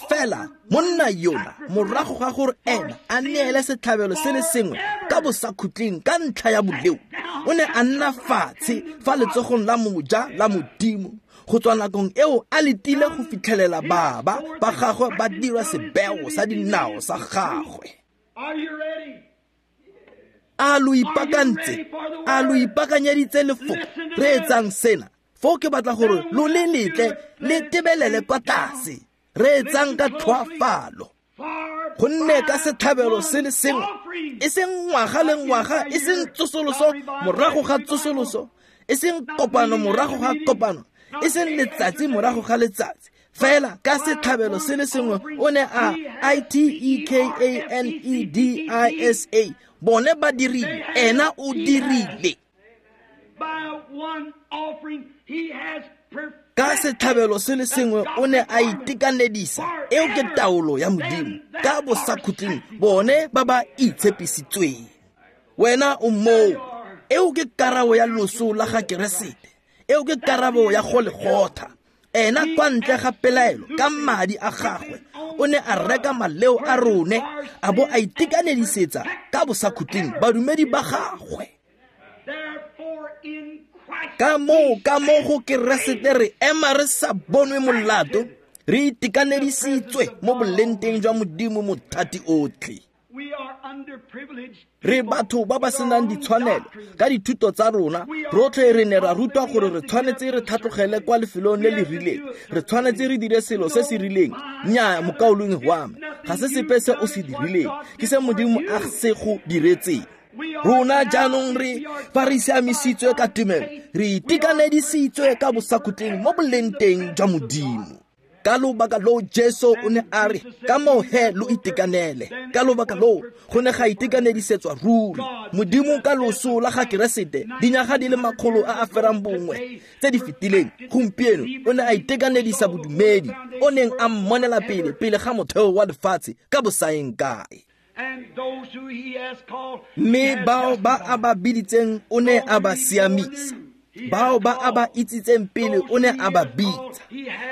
Speaker 1: Fela monna yona, morago ga gore ena a neele setlhabelo se le sengwe ka bosakhutleng ka ntlha ya boleo, o ne a nna fatshe fa letsogong la moja la Modimo. Go tswa nakong eo a letile go fitlhelela baba ba gagwe ba dira sebeo sa dinao sa gagwe. A lo ipaakantse? A lo ipaakanyeditse lefoko? Reetsang sena. Foo ke batla gore lo le letle le tebelele kwa tlase. Reetsang ka tlhoafalo. Gonne ka setlhabelo se le sengwe, e seng ngwaga le ngwaga, e seng tsosoloso morago ga tsosoloso, e seng kopano morago ga kopano, e seng letsatsi morago ga letsatsi, fela ka setlhabelo se le sengwe o ne a I-T-E-K-A-N-E-D-I-S-A. Bone ba dirile, ena o dirile. Ka setlhabelo se le sengwe o ne a itekanedisa. Eo ke taolo ya Modimo ka bosakhutleng bone ba ba itshepisitsweng. Wena o moo. Eo ke karabo ya loso la ga Keresete. Eo ke karabo ya Golegotha. Ena kwa ntle ga pelaelo ka madi a gagwe o ne a reka maleo a rone, a bo a itekanedisetsa ka bosakhutleng badumedi ba gagwe. Ka moo go Keresete re ema re sa bonwe molato, re itekanedisitswe mo bolenteng jwa Modimo mothati otlhe. Re batho ba ba senang ditshwanelo ka dithuto tsa rona. Rotlhe re ne ra rutwa gore re tshwanetse re tlhatlogele kwa lefelong le le rileng, re tshwanetse re dire selo se se rileng. Nnyaa, mokaulengwe wa me, ga se sepe se o se dirileng, ke se Modimo a se go diretseng. Rona jaanong re fa re siamisitswe ka tumelo, re itekanedisitswe ka bosakhutleng mo bolenteng jwa Modimo. Ka lobaka loo Jesu o ne a re, ka moo he lo itekanele. Ka lobaka loo go ne ga itekanedisetswa ruri Modimo ka loso la ga Keresete dinyaga di le 100 a a ferang bongwe tse di fetileng. Gompieno o ne a itekanedisa bodumedi o neng a mmonela pele pele ga motheo wa lefatshe ka bosaeng kae. Mme bao ba a ba biditseng o ne a ba siamisa, bao ba a ba itsitseng pele o ne a ba bitsa,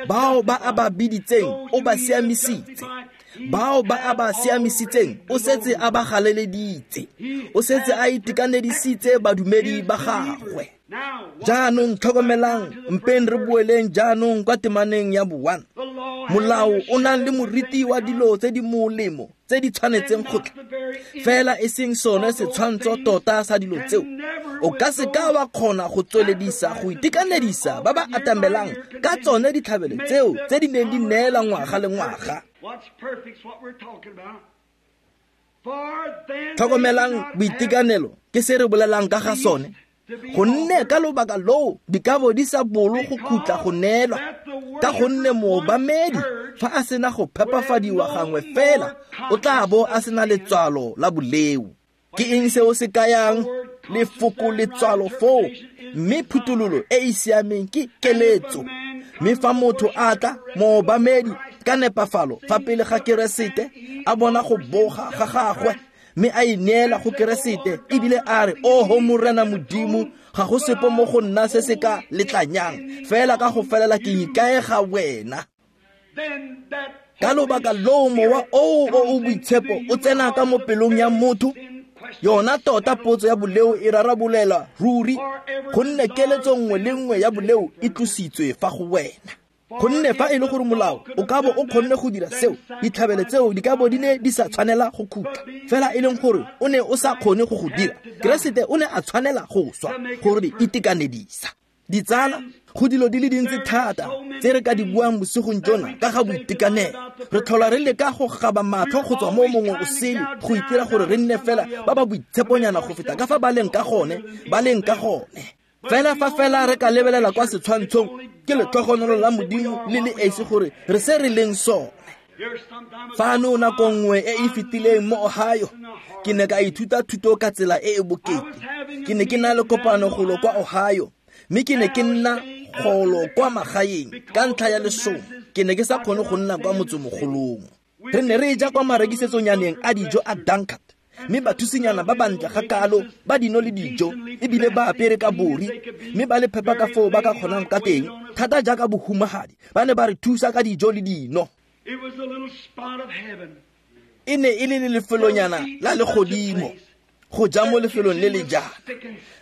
Speaker 1: bao ba a ba biditseng o ba siamisitse, bao ba a ba siamisitseng o setse a ba galeleditse, o setse a itekanedisitse badumedi ba gagwe. Jaanong tlhokomelang, mpeng re boeleng jaanong kwa temaneng ya bo-1. Molao o nang le moriti wa dilo tse di molemo tse di tshwanetseng go tla, fela e seng sone setshwantsho tota sa dilo tseo, o ka se ka wa kgona go tsweledisa go itekanedisa ba ba atamelang ka tsone ditlhabelo tseo tse di neng di neela ngwaga le ngwaga. Tlhokomelang, boitekanelo ke se re bolelang ka ga sone. Gonne ka lobaka loo dikabo di sa bolo go khutla go neelwa, ka gonne moobamedi fa a sena go phepafadiwa gangwe fela o tla bo a sena letswalo la boleo. Ke eng seo se kayang lefoko letswalo foo? Mme phuthololo e e siameng ke keletso. Mme fa motho a tla moobamedi ka nepafalo fa pele ga Keresete, a bona go boga ga gagwe mme a ineela go Keresete ebile a re, oho Morena Modimo, ga go sepe mo go nna se se ka letlanyang, fela ka go felela ke ikaega wena. Ka lobaka loo mowa oo o o boitshepo o tsena ka mo pelong ya motho, yona tota potso ya boleo e rarabolelwa ruri, gonne keletso nngwe le nngwe ya boleo e tlositswe fa go wena. Gonne fa e le gore molao o ka bo o kgonne go dira seo, ditlhabelo tseo di ka bo di ne di sa tshwanela go khutla. Fela e leng gore o ne o sa kgone go go dira, Keresete o ne a tshwanela go swa gore di itekanedisa. Ditsala, go dilo di le dintsi thata tse re ka di buang bosigong jona ka ga boitekanelo. Re tlhola re leka go gaba matlho go tswa mo mongwe o sele go itira gore re nne fela ba ba boitsheponyana go feta ka fa ba leng ka gone, ba leng ka gone. Fela fa fela re ka lebelela kwa setshwantshong, ke letlhogonolo la Modimo le le esi gore re se re leng sone. Fano nako nngwe e e fetileng mo Ohio, ke ne ka ithuta thuto ka tsela e e bokete. Ke ne ke na le kopano golo kwa Ohio, mme ke ne ke nna golo kwa magaeng ka ntlha ya lesomo. Ke ne ke sa kgone go nna kwa motsemogolong. Re ne re ja kwa marekisetsonyaneng a dijo a Dunkard, mme bathusinyana ba bantle ga kalo ba dino le dijo, ebile ba apere ka bori, mme ba le phepa ka foo ba ka kgonang ka teng, thata jaaka bohumagadi, ba ne ba re thusa ka dijo le dino. E ne e le lefelonyana la legodimo go ja mo lefelong le le jana.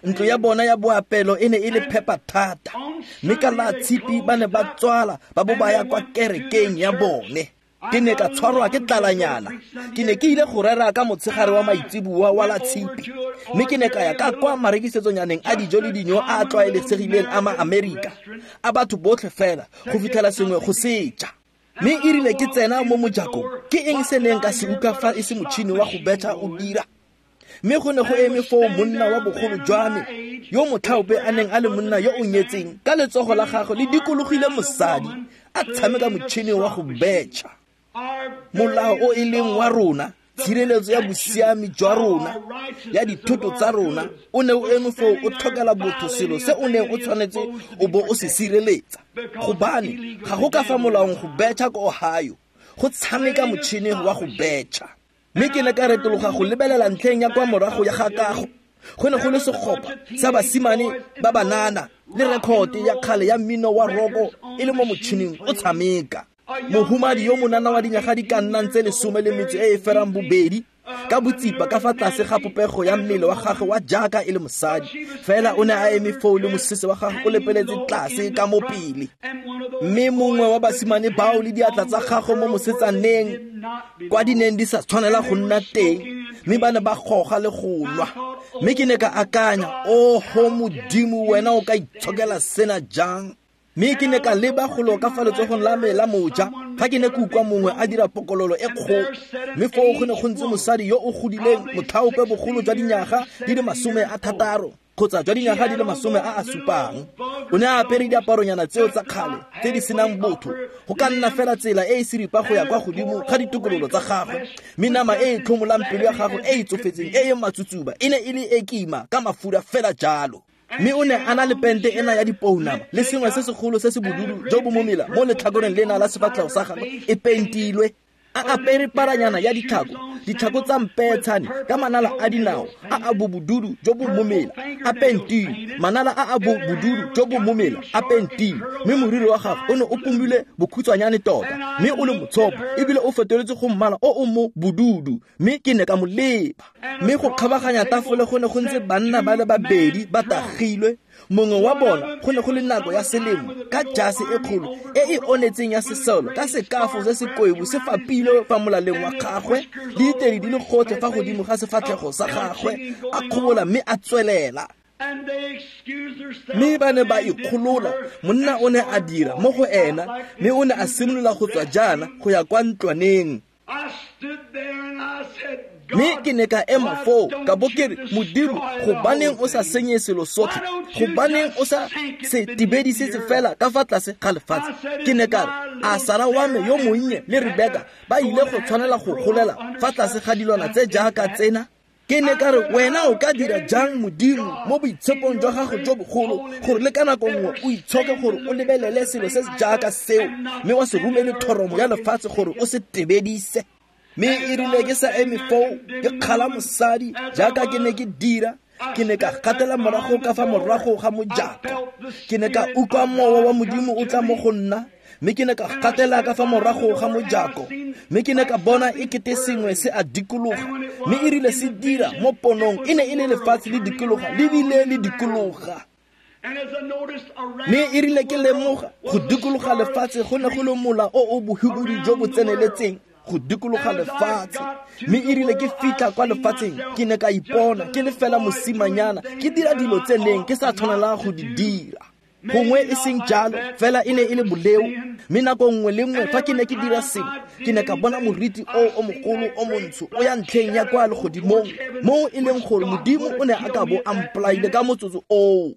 Speaker 1: Ntlo ya bona ya boapelo e ne e le phepa thata, mme ka la tshipi ba ne ba tswala ba bo ba ya kwa kerekeng ya bone. Ke ne ka tshwarwa ke tlalanyana. Ke ne ke ile go rera ka motshegare wa maitseboa wa la tshipi, mme ke ne ka ya ka kwa marekisetsonyaneng a dijo le dino a a tlwaelesegileng a ma-Amerika, a batho botlhe fela go fitlhela sengwe go seja. Mme e rile ke tsena mo mojakong, ke eng se neng ka se utlwa fa e se motšhini wa go betšha o dira? Mme go ne go eme foo monna wa bogolo jwa me, yo motlhaope a neng a le monna yo o nyetseng, ka letsogo la gagwe le dikologile mosadi, a tshameka motšhini wa go betšha. Molao o e leng wa rona, tshireletso ya bosiami jwa rona, ya dithoto tsa rona, o ne o eme foo o tlhokela botho selo se o neng o tshwanetse o bo o se sireletsa. Gobane ga go ka fa molaong go betšha ko Ohio, go tshameka motšhini wa go betšha. Mme ke ne ka retologa go lebelela ntlheng ya kwa morago ya ga kago. Go ne go le segopa sa basimane ba banana le rekhote ya kgale ya mmino wa roko e le mo motšhining o tshameka. Mohumadi yo monana wa dinyaga di ka nnang tse 18 e e ferang bobedi, ka botsipa ka fa tlase ga popego ya mmele wa gagwe wa jaaka e le mosadi, fela o ne a eme foo le mosese wa gagwe o lepeletse tlase ka mo pele. Mme mongwe wa basimane bao le diatla tsa gagwe mo mosetsaneng kwa di neng di sa tshwanela go nna teng, mme ba ne ba goga le go nwa. Mme ke ne ka akanya, oho Modimo, wena o ka itshokela sena jang? Mme ke ne ka leba golo ka fa letsogong la me la moja, ga ke ne ke utlwa mongwe a dira pokololo e kgolo. Mme foo go ne go ntse mosadi yo o godileng, motlhaope bogolo jwa dinyaga di le 60 kgotsa jwa dinyaga di le 70. O ne a apere diaparonyana tseo tsa kgale tse di senang botho, go ka nna fela tsela e e seripa go ya kwa godimo ga ditokololo tsa gagwe, mme nama e e tlhomolang pelo ya gagwe e e tsofetseng e e matsutsuba e ne e le e kima ka mafura fela jalo. Mme o ne a na le pente ena ya dipounama le sengwe se segolo se se bodudu jo bo momela mo letlhakoreng lena la sefatlhego sa gagwe e pentilwe. A apere paranyana ya ditlhako, ditlhako tsa mpeetshane ka manala a dinao a a bobodudu jo bo momela a pentilwe, manala a a bobodudu jo bo momela a pentilwe. Mme moriri wa gagwe o ne o pomilwe bokhutshwanyane tota, mme o le motshopo ebile o fetoletse go mmala o o mo bodudu. Mme ke ne ka mo leba. Mme go kgabaganya tafole go ne go ntse banna ba le babedi ba tagilwe. Mongwe wa bona go ne go le nako ya selemo, ka jase e kgolo e e onetseng ya sesolo, ka sekafo se se koibo se fapilwe fa molaleng wa gagwe, le ditedi di le gotlhe fa godimo ga sefatlhego sa gagwe, a kgobola mme a tswelela. Mme ba ne ba ikgolola. Monna o ne a dira mo go ena, mme o ne a simolola go tswa jaana go ya kwa ntlwaneng. Mme ke ne ka ema foo ka bo ke re, Modimo, gobaneng o sa senye selo sotlhe? Gobaneng o sa se tibedisetse fela ka fa tlase ga lefatshe? Ke ne ka re, a Sara wa me yo monnye le Rebeka ba ile go tshwanela go golela fa tlase ga dilwana tse jaaka tsena? Ke ne ka re, wena o ka dira jang, Modimo, mo boitshepong jwa gago jo bogolo, gore le ka nako nngwe o itshoke gore o lebelele selo se se jaaka seo, mme wa se romele thoromo ya lefatshe gore o se tebedise? Mme e rile ke sa eme foo ke kgala mosadi jaaka ke ne ke dira, ke ne ka gatela morago ka fa morago ga mojako. Ke ne ka utlwa mowa wa Modimo o tla mo go nna, mme ke ne ka gatela ka fa morago ga mojako, mme ke ne ka bona e kete sengwe se a dikologa. Mme e rile se dira mo ponong, e ne e le lefatshe le dikologa le bile le dikologa. Mme e rile ke lemoga go dikologa lefatshe go ne go le mola o o bohubudu jo bo tseneletseng go dikologa lefatshe. Mme e rile ke fitlha kwa lefatsheng, ke ne ka ipona ke le fela mosimanyana ke dira dilo tse neng ke sa tshwanela go di dira. Gongwe e seng jalo, fela e ne e le boleo. Mme nako nngwe le nngwe fa ke ne ke dira sengwe, ke ne ka bona moriti o o mogolo o montsho o ya ntlheng ya kwa legodimong, mo e leng gore Modimo o ne a ka bo a mpolaile ka motsotso oo.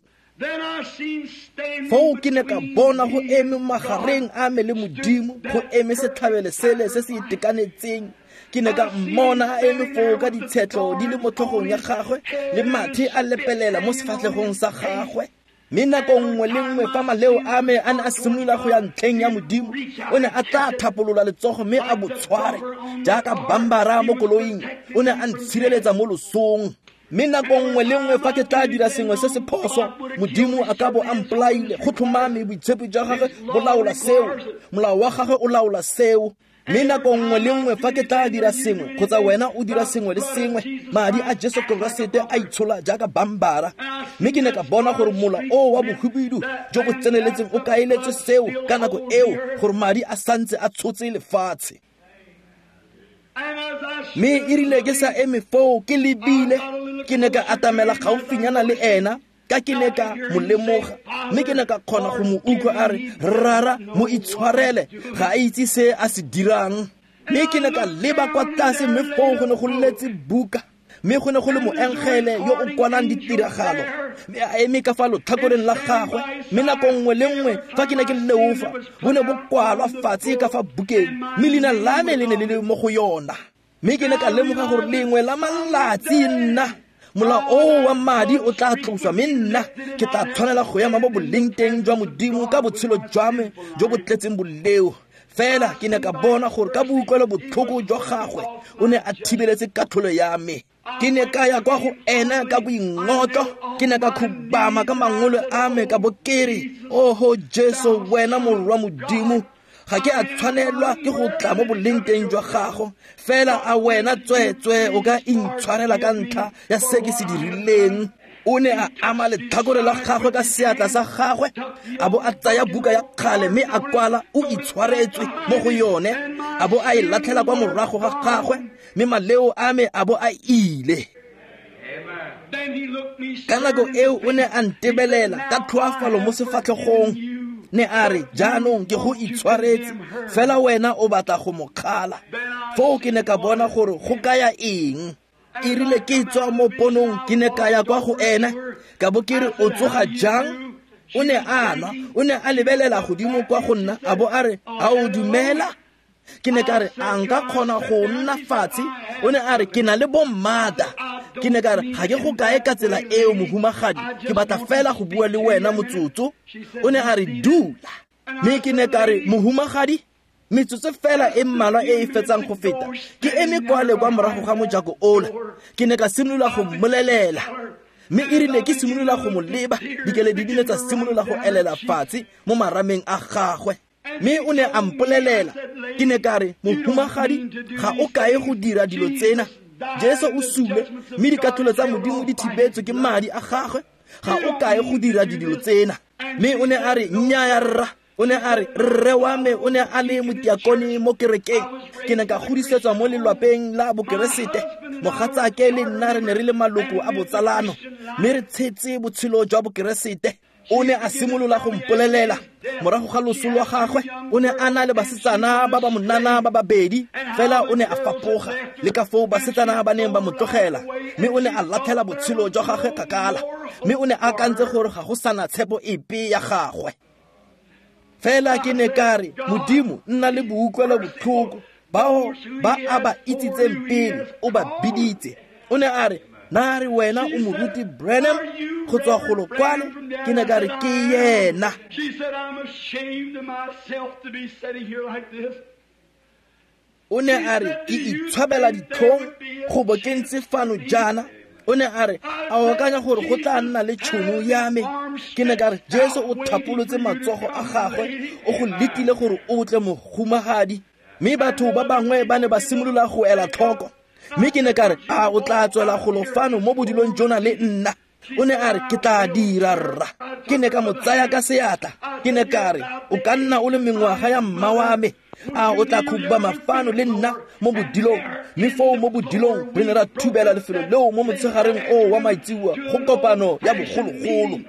Speaker 1: Foo ke ne ka bona go eme magareng a me le Modimo, go eme setlhabelo sele se se itekanetseng. Ke ne ka mmona a eme foo ka ditshetlho di le mo tlhogong ya gagwe le mathe a lepelela mo sefatlhegong sa gagwe. Mme nako nngwe le nngwe fa maleo a me a ne a simolola go ya ntlheng ya Modimo, o ne a tla thapolola letsogo mme a bo tshware jaaka bambara mo koloing. O ne a ntshireletsa mo losong. Mme nako nngwe le nngwe fa ke tla dira sengwe se se phoso, Modimo a ka bo a mpolaile. Go tlhomame boitshepi jwa gagwe bo laola seo, molao wa gagwe o laola seo. Mme nako nngwe le nngwe fa ke tla dira sengwe kgotsa wena o dira sengwe le sengwe, madi a Jesu Keresete a itshola jaaka bambara. Mme ke ne ka bona gore mola o wa bohubidu jo bo tseneletseng o kaeletswe seo ka nako eo, gore madi a santse a tshotse lefatshe. Mme e rile ke sa eme foo ke lebile, ke ne ka atamela gaufinyana le ena, ka ke ne ka mo lemoga, mme ke ne ka kgona go mo utlwa a re, Rara, mo itshwarele, ga a itse se a se dirang. Mme ke ne ka leba kwa tlase, mme foo go ne go letse buka, mme go ne go le moengele yo o kwalang ditiragalo, mme a eme ka fa lotlhakoreng la gagwe. Mme nako nngwe le nngwe fa ke ne ke leofa, bo ne bo kwalwa fatshe ka fa bukeng, mme leina la me le ne le le mo go yona. Mme ke ne ka lemoga gore lengwe la malatsi nna molao o wa madi o tla tloswa, mme nna ke tla tshwanela go ema mo boleng teng jwa Modimo ka botshelo jwa me jo bo tletseng boleo. Fela ke ne ka bona gore ka boutlwelo botlhoko jwa gagwe o ne a thibeletse katlholo ya me. Ke ne ka ya kwa go ena ka boingotlo, ke ne ka khubama ka mangolo a me ka bo ke re, Oho Jesu, wena morwa Modimo, ga ke a tshwanelwa ke go tla mo boleng teng jwa gago, fela a wena tsweetswee o ka intshwarela ka ntlha ya se ke se dirileng. O ne a ama letlhakore la gagwe ka seatla sa gagwe, a bo a tsaya buka ya kgale mme a kwala o itshwaretswe mo go yone, a bo a e latlhela kwa morago ga gagwe, mme maleo a me a bo a ile. Ka nako eo o ne a ntebelela ka tlhoafalo mo sefatlhegong, ne a re, jaanong ke go itshwaretse, fela wena o batla go mo kgala. Foo ke ne ka bona gore go kaya eng. E rile ke tswa mo ponong, ke ne ka ya kwa go ena, ka bo ke re, o tsoga jang? O ne a nwa, o ne a lebelela godimo kwa go nna, a bo a re, a o dumela? Ke ne ka re, a nka kgona go nna fatshe? O ne a re, ke na le bommata. Ke ne ka re, ga ke go kae ka tsela eo, mohumagadi, ke batla fela go bua le wena motsotso. O ne a re, dula. Mme ke ne ka re, mohumagadi, metsotso fela e mmalwa e e fetsang go feta, ke eme kwale kwa morago ga mojako ola. Ke ne ka simolola go mmolelela, mme e rile ke simolola go mo leba, dikeledi di ne tsa simolola go elela fatshe mo marameng a gagwe. Mme o ne a mpolelela. Ke ne ka re, mohumagadi, ga o kae go dira dilo tsena. Jesu o sule, mme dikatlholo tsa Modimo di thibetswe ke madi a gagwe. Ga o kae go dira dilo tsena. Mme o ne a re, nnyaya rra. O ne a re, rre wa me o ne a le motiakone mo kerekeng. Ke ne ka godisetswa mo lelwapeng la bokeresete. Mogatsake le nna re ne re le maloko a botsalano, mme re tshetse botshelo jwa bokeresete. O ne a simolola go mpolelela morago ga loso lwa gagwe, o ne a na le basetsana ba ba monana ba babedi, fela o ne a fapoga le ka foo basetsana ba neng ba mo tlogela, mme o ne a latlhela botshelo jwa gagwe kgakala, mme o ne a akantse gore ga go sana tshepo epe ya gagwe. Fela ke ne ka re, Modimo, nna le boutlwelo botlhoko, bao ba a ba itsitseng pele o ba biditse. O ne a re, na re wena o moruti Branham go tswa golo kwale? Ke ne ka re, ke yena. O ne a re, ke itshwabela ditlhong go bo ke ntse fano jaana. O ne a re, a o akanya gore go tla nna le tšhono ya me? Ke ne ka re, Jesu o thapolotse matsogo a gagwe, o go letile gore o tle, mohumagadi. Mme batho ba bangwe ba ne ba simolola go ela tlhoko. Mme ke ne ka re, a o tla tswela golo fano mo bodilong jona le nna? O ne a re, ke tla dira rra. Ke ne ka mo tsaya ka seatla. Ke ne ka re, o ka nna o le mengwaga ya mma wa me, a o tla khubama fano le nna mo bodilong? Mme foo mo bodilong re ne ra thubela lefelo leo mo motshegareng oo wa maitsiwa go kopano ya bogologolo.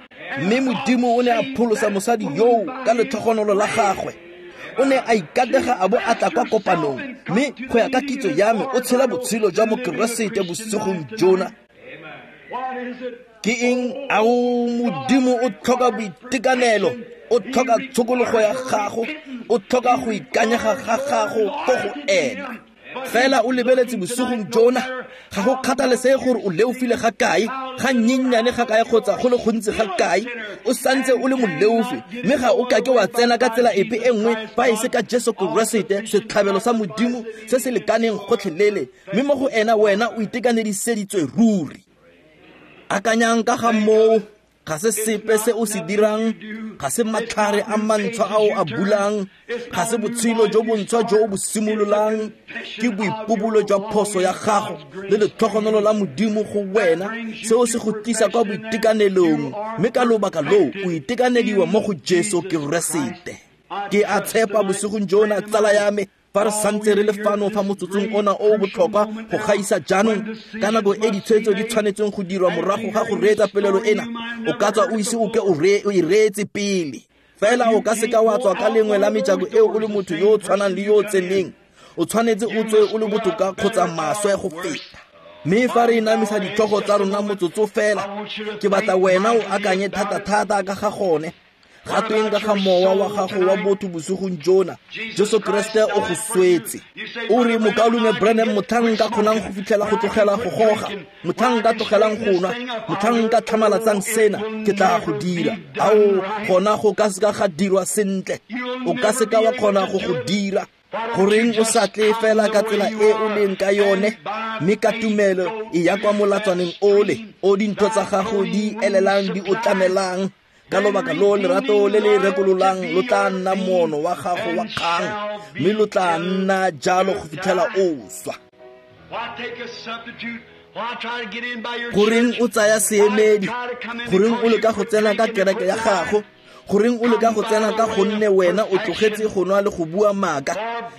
Speaker 1: Mme Modimo o ne a pholosa mosadi yoo ka letlhogonolo la gagwe. O ne a ikatega a bo a tla kwa kopanong, mme go ya ka kitso ya me o tshela botshelo jwa Mokeresete bosigong jona. Ke eng? Ao, Modimo o tlhoka boitekanelo, o tlhoka tshokologo ya gago, o tlhoka go ikanyega ga gago ko go ena. Fela o lebeletse bosigong jona, ga go kgathalesege gore o leofile ga kae, ga nnyennyane ga kae kgotsa go le gontsi ga kae, o santse o le moleofi, mme ga o kake wa tsena ka tsela epe e nngwe fa e se ka Jesu Keresete, setlhabelo sa Modimo se se lekaneng gotlhelele, mme mo go ena wena o itekanediseditswe ruri. Akanyang ka ga moo, ga se sepe se o se dirang, ga se matlhare a mantshwa a o a bulang, ga se botshelo jo bontshwa jo o bo simololang, ke boipobolo jwa phoso ya gago le letlhogonolo la Modimo go wena, seo se go tlisa kwa boitekanelong, mme ka lobaka loo o itekanediwa mo go Jesu Keresete. Ke a tshepa bosigong jona, tsala ya me, fa re santse re le fano fa motsotsong ona o o botlhokwa go gaisa jaanong, ka nako e ditshwetso di tshwanetseng go dirwa morago ga go reetsa polelo ena, o ka tswa o ise o ke o e reetse pele. Fela o ka seka wa tswa ka lengwe la mejako eo o le motho yo o tshwanang le yo o tseneng. O tshwanetse o tswe o le botoka kgotsa maswe go feta. Mme fa re inamisa ditlhogo tsa rona motsotso fela, ke batla wena o akanye thata-thata ka ga gone. Ga tweng ka ga mowa wa gago wa botho bosigong jona, Jesu Kriste o go swetse. O re, Mokaulengwe Branham, motlhang nka kgonang go fitlhela go tlogela go goga, motlhang nka tlogelang go nwa, motlhang nka tlhamalatsang sena, ke tla go dira. Ao, gona go ka seka ga dirwa sentle. O ka seka wa kgona go go dira. Goreng o sa tle fela ka tsela e o leng ka yone, mme ka tumelo e ya kwa molatswaneng ole, o dintho tsa gago di elelang di o tlamelang. Ka lobaka lo lerato le le rekololang lo tla nna moono wa gago wa kgang, mme lo tla nna jalo go fitlhela o swa. Goreng o tsaya seemedi? Goreng o leka go tsena ka kereke ya gago? Goreng o leka go tsena ka gonne wena o tlogetse go nwa le go bua maaka?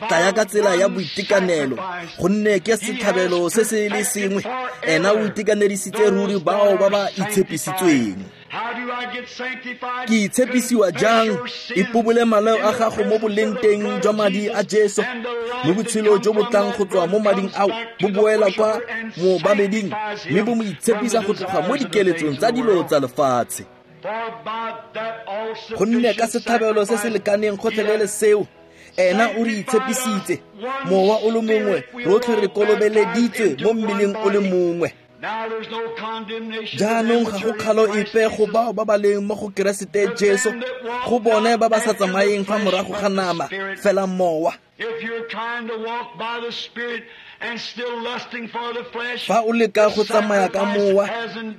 Speaker 1: Tlaya ka tsela ya boitekanelo, gonne ke setlhabelo se se le sengwe. Ena o itekanedisitse ruri bao ba ba itshepisitsweng. Ke itshepisiwa jang? Ipobole maleo a gago mo boleng teng jwa madi a Jesu, mme botshelo jo bo tlang go tswa mo mading ao bo boela kwa moobameding, mme bo mo itshepisa go tloga mo dikeletsong tsa dilo tsa lefatshe. Gonne ka setlhabelo se se lekaneng gotlhelele seo, ena o re itshepisitse. Mowa o le mongwe, rotlhe re kolobeleditswe mo mmeleng o le mongwe. Jaanong ga go kgalo epe go bao ba ba leng mo go Keresete Jesu, go bone ba ba sa tsamayeng fa morago ga nama, fela mowa. Fa o leka go tsamaya ka mowa,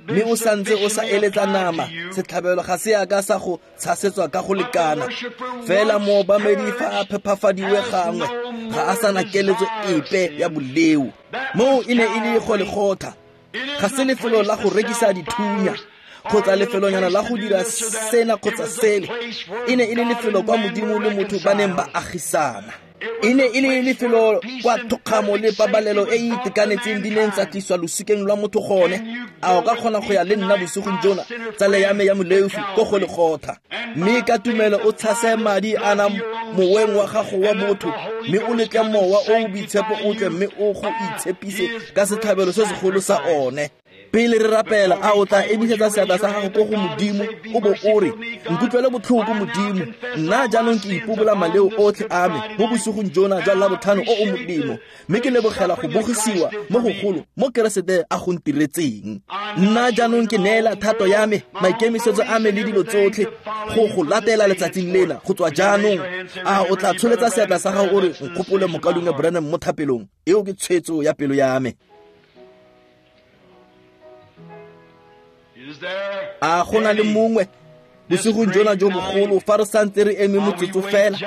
Speaker 1: mme o santse o sa eletsa nama, setlhabelo ga se a ka sa go tshasetswa ka go lekana. Fela moobamedi fa a phephafadiwe gangwe, ga a sana keletso epe ya boleo. Moo e ne e le Golegotha. Ga se lefelo la go rekisa dithunya kgotsa lefelonyana la go dira sena kgotsa sele. E ne e le lefelo kwa Modimo le motho ba neng ba agisana. E ne e le lefelo kwa thokgamo le pabalelo e e itekanetseng di neng tsa tliswa losikeng lwa motho gone. A o ka kgona go ya le nna bosigong jona, tsala ya me ya moleofi, ko Golegotha? Mme ka tumelo o tshase madi ana moweng wa gago wa botho, mme o letle mowa o o boitshepo o tle mme o go itshepise ka setlhabelo se segolo sa one. Pele re rapela, a o tla emisetsa seatla sa gago ko go Modimo, o bo o re, nkutlwele botlhoko Modimo, nna jaanong ke ipobola maleo otlhe a me mo bosigong jona jwa Labotlhano o o molemo, mme ke lebogela go bogisiwa mo gogolo mo Keresete a go ntiretseng. Nna jaanong ke neela thato ya me, maikemisetso a me le dilo tsotlhe go go latela letsatsing lena go tswa jaanong. A o tla tsholetsa seatla sa gago o re, nkgopole Mokaulengwe Branham mo thapelong? Eo ke tshwetso ya pelo ya me. A go na le mongwe bosigong jona jo bogolo, fa re santse re eme motsotso fela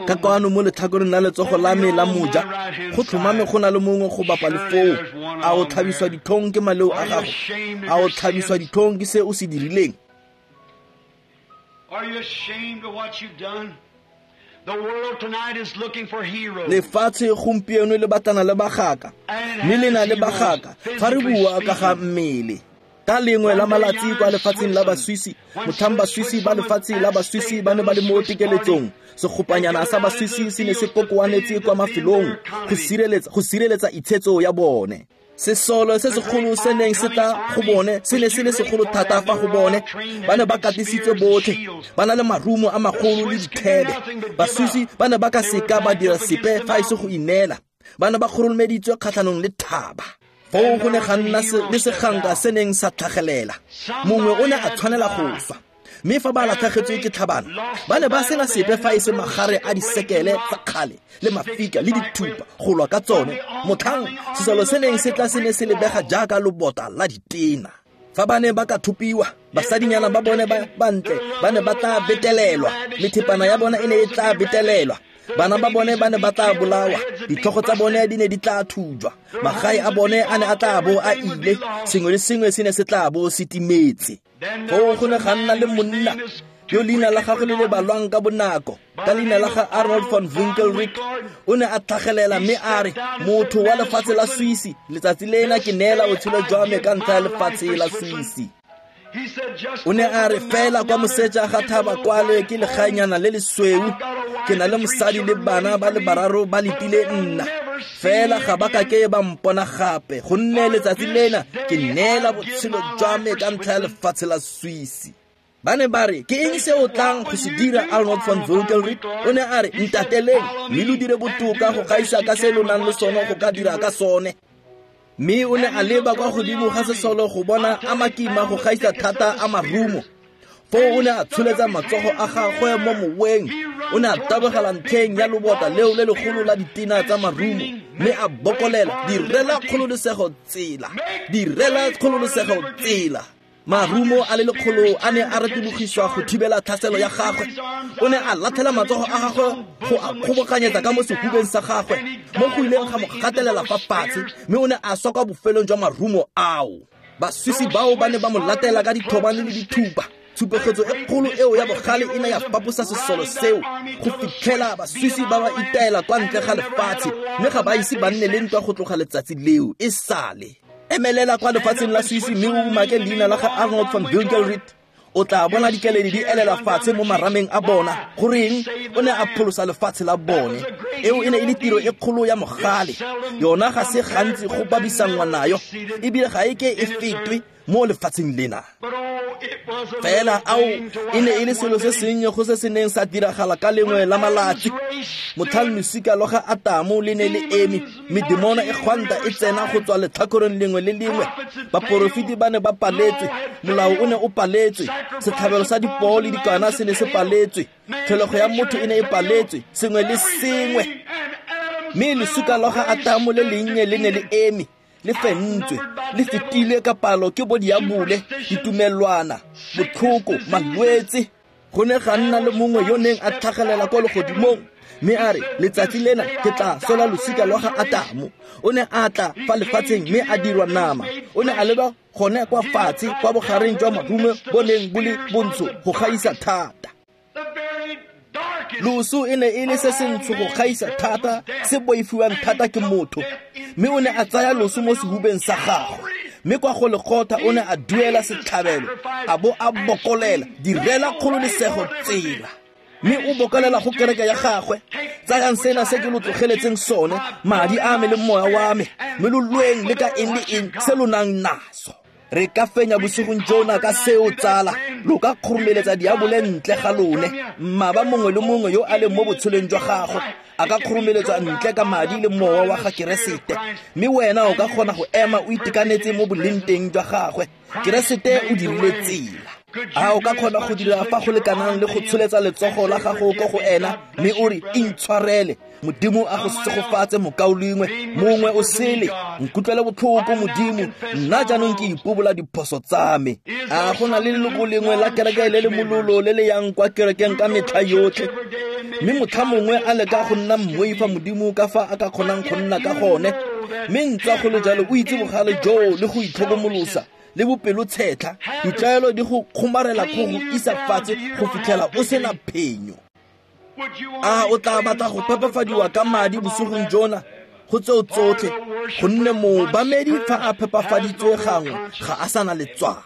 Speaker 1: ka kwano mo letlhakoreng la letsogo la me la moja, go tlhomame go na le mongwe go bapa le foo. A o tlhabiswa ditlhong ke maleo a gago? A o tlhabiswa ditlhong ke se o se dirileng? Lefatshe gompieno le batlana le bagaka, mme le na le bagaka fa re bua ka ga mmele. Ka lengwe la malatsi kwa lefatsheng la Baswisi, motlhang Baswisi ba lefatshe la Baswisi ba ne ba le mo tekeletsong, segopanyana sa Baswisi se ne se kokoanetse kwa mafelong go sireletsa itshetso ya bone. Sesolo se segolo se neng se tla go bone se ne se le segolo thata fa go bone. Ba ne ba katisitswe botlhe, ba na le marumo a magolo le dithebe. Baswisi ba ne ba ka seka ba dira sepe fa e se go ineela. Ba ne ba kgoromeditswe kgatlhanong le thaba. Foo go ne ga nna le seganka se neng sa tlhagelela. Mongwe o ne a tshwanela go swa. Mme fa ba latlhagetswe ke tlhabano, ba ne ba sena sepe fa e se magare a disekele tsa kgale le mafika le dithupa go lwa ka tsone. Motlhang sesolo se neng se tla se ne se lebega jaaka lobota la ditena. Fa ba ne ba ka thopiwa, basadinyana ba bone ba bantle ba ne ba tla betelelwa, methepana ya bona e ne e tla betelelwa, bana ba bone ba ne ba tla bolawa, ditlhogo tsa bone di ne di tla thujwa, magae a bone a ne a tla bo a ile, sengwe le sengwe se ne se tla bo se timetse. Foo go ne ga nna le monna yo leina la gagwe le le balwang ka bonako, ka leina la ga Arnold von Winkelried. O ne a tlhagelela mme a re, motho wa lefatshe la Swisi, letsatsi lena ke neela botshelo jwa me ka ntlha ya lefatshe la Swisi. O ne a re, fela kwa moseja ga thaba kwale ke legaenyana le lesweu, ke na le mosadi le bana ba le bararo ba letile nna, fela ga ba kake ba mpona gape, gonne letsatsi lena ke neela botshelo jwa me ka ntlha ya lefatshe la Swisi. Ba ne ba re, ke eng se o tlang go se dira, Arnold von Winkelried? O ne a re, ntateleng mme lo dire botoka go gaisa ka se lo nang le sone go ka dira ka sone. Mme o ne a leba kwa godimo ga sesolo go bona a makima go gaisa thata a marumo. Foo o ne a tsholetsa matsogo a gagwe mo moweng. O ne a tabogela ntlheng ya lobota leo le legolo la ditena tsa marumo, mme a bokolela, direla kgololosego tsela, direla kgololosego tsela. Marumo a le lekgolo a ne a retologiswa go thibela tlhaselo ya gagwe. O ne a latlhela matsogo a gagwe go a kgobokanyetsa ka mo sehubeng sa gagwe, mo go ileng ga mo gatelela fa fatshe, mme o ne a swa kwa bofelong jwa marumo ao. Baswisi bao ba ne ba mo latela ka dithobane le dithupa. Tshupegetso e kgolo eo ya bogale e ne ya faposa sesolo seo go fitlhela Baswisi ba ba itaela kwa ntle ga lefatshe, mme ga ba ise ba nne le ntwa go tloga letsatsi leo e sale. Emelela kwa lefatsheng la Swisi mme o umake leina la ga Arnold von Winkelried. O tla bona dikeledi di elela fatshe mo marameng a bona. Goreng? O ne a pholosa lefatshe la bone. Eo e ne e le tiro e kgolo ya mogale. Yona ga se gantsi go babisanngwa nayo, ebile ga e ke e fetwe mo lefatsheng lena. Fela ao e ne e le selo se sennye go se se neng sa diragala ka lengwe la malatsi. Motlhang losika lwa ga Atamo le ne le eme, medemona e gwanta e tsena go tswa letlhakoreng lengwe le lengwe. Baporofeti ba ne ba paletswe, molao o ne o paletswe, setlhabelo sa dipoo le dikana se ne se paletswe, tlholego ya motho e ne e paletswe, sengwe le sengwe. Mme losika lwa ga Atamo le lennye le ne le eme, le fentswe, le fetile ka palo ke bo diabole, ditumelwana, botlhoko, malwetse. Go ne ga nna le mongwe yo neng a tlhagelela kwa legodimong, mme a re, letsatsi lena ke tla sola losika lwa ga Atamo. O ne a tla fa lefatsheng mme a dirwa nama. O ne a leba gone kwa fatshe kwa bogareng jwa marumo bo neng bo le bontsho go gaisa thata. Loso e ne e le se sentsho go gaisa thata, se boifiwang thata ke motho. Mme o ne a tsaya loso mo sehubeng sa gagwe, mme kwa go lekgotha o ne a duela setlhabelo, a bo a bokolela, direla kgololesego tsela. Mme o bokolela go kereke ya gagwe, tsayang sena se ke lo tlogeletseng sone, madi a me le moya wa me, mme lo lweng le ka eng le eng se lo nang naso. Re ka fenya bosigong jona ka seo, tsala. Lo ka kgoromeletsa diabole ntle ga lone. Mmaba mongwe le mongwe yo a leng mo botshelong jwa gago a ka kgoromeletswa ntle ka madi le mowa wa ga Keresete, mme wena o ka kgona go ema o itekanetse mo boleng teng jwa gagwe. Keresete o dirile tsela. A o ka kgona go dira fa go lekanang le go tsholetsa letsogo la gago ko go ena, mme o re, intshwarele, Modimo a go segofatse mokaulengwe, mongwe o sele, nkutlwele botlhoko Modimo, nna jaanong ke ipobola diphoso tsa me. A go na le leloko lengwe la kereke le le mololo le le yang kwa kerekeng ka metlha yotlhe, mme motlha mongwe a leka go nna mmoifa Modimo ka fa a ka kgonang go nna ka gone, mme ntswa go le jalo o itse bogale joo le go itlhokomolosa le bopelotshetlha, ditlaelo di go kgomarela go go isa fatshe go fitlhela o sena phenyo. A o tla batla go phepafadiwa ka madi bosigong jona? Go tseo tsotlhe, gonne moobamedi fa a phepafaditswe gangwe ga a sana letswalo.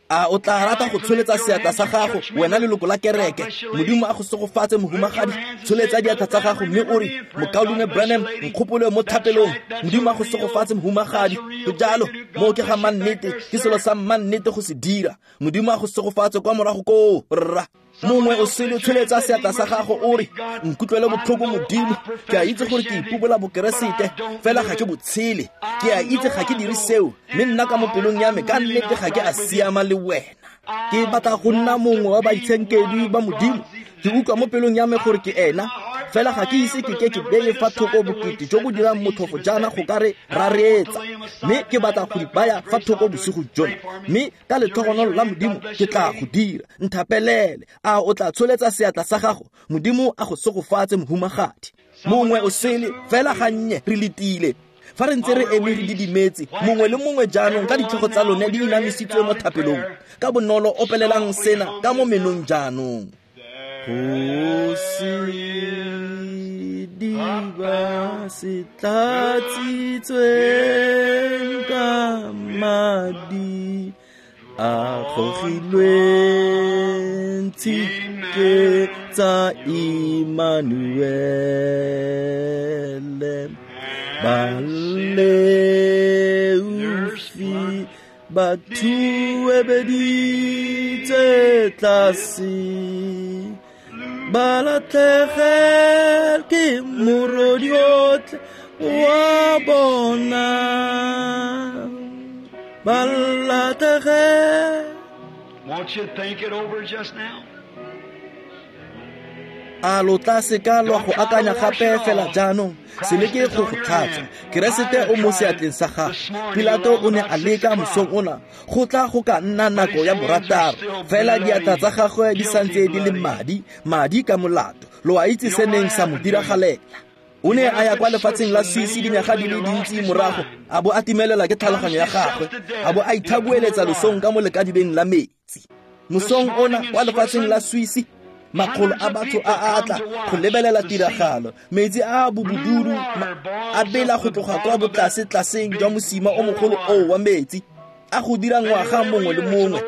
Speaker 1: A o tla rata go tsholetsa seatla sa gago, wena leloko la kereke? Modimo a go segofatse, mohumagadi. Tsholetsa diatla tsa gago mme o re, Mokaulengwe Branham, nkgopole mo thapelong. Modimo a go segofatse, mohumagadi. Go jalo, moo ke ga mannete, ke selo sa mannete go se dira. Modimo a go segofatse kwa morago koo, rra. Mongwe o sele, tsholetsa seatla sa gago o re, nkutlwele botlhoko Modimo, ke a itse gore ke ipobola bokeresete, fela ga ke botshele. Ke a itse ga ke dire seo, mme nna ka mo pelong ya me ka nnete ga ke a siama le wena. Ke batla go nna mongwe wa baitshenkedwi ba Modimo. Ke utlwa mo pelong ya me gore ke ena, fela ga ke ise ke ke ke beye fa thoko bokete jo bo dirang motlhofo jaana go ka re rareetsa, mme ke batla go di baya fa thoko bosigo jona, mme ka letlhogonolo la Modimo ke tla go dira. Nthapelele. A o tla tsholetsa seatla sa gago? Modimo a go segofatse, mohumagadi. Mongwe o sele, fela gannye re letile. Fa re ntse re eme re didimetse, mongwe le mongwe jaanong ka ditlhogo tsa lone di inamisitswe mo thapelong, ka bonolo opelelang sena ka mo menong jaanong. Go sediba se tlatsitsweng ka madi a gogilweng tshike tsa Immanuele. Baleofi ba thuebeditse tlase, ba latlhegel ke morodi otlhe wa bona. Ba latlhegel.
Speaker 2: Won't you think it over just now?
Speaker 1: A lo tla seka lwa go akanya gape fela jaanong? Se leke go go tlhatswa. Keresete o mo seatleng sa gago. Pilato o ne a leka mosong ona go tla go ka nna nako ya borataro, fela diatla tsa gagwe di santse di le madi, madi ka molato. Lo a itse se neng sa mo diragalela. O ne a ya kwa lefatsheng la Swiss dinyaga di le dintsi morago, a bo a timelela ke tlhaloganyo ya gagwe, a bo a ithabueletsa losong ka mo lekadibeng la metsi. Mosong ona kwa lefatsheng la Swiss, makgolo a batho a atla go lebelela tiragalo. Metsi a bobududu a bela go tloga kwa botlase-tlaseng jwa mosima o mogolo oo wa metsi, a go dira ngwaga mongwe le mongwe.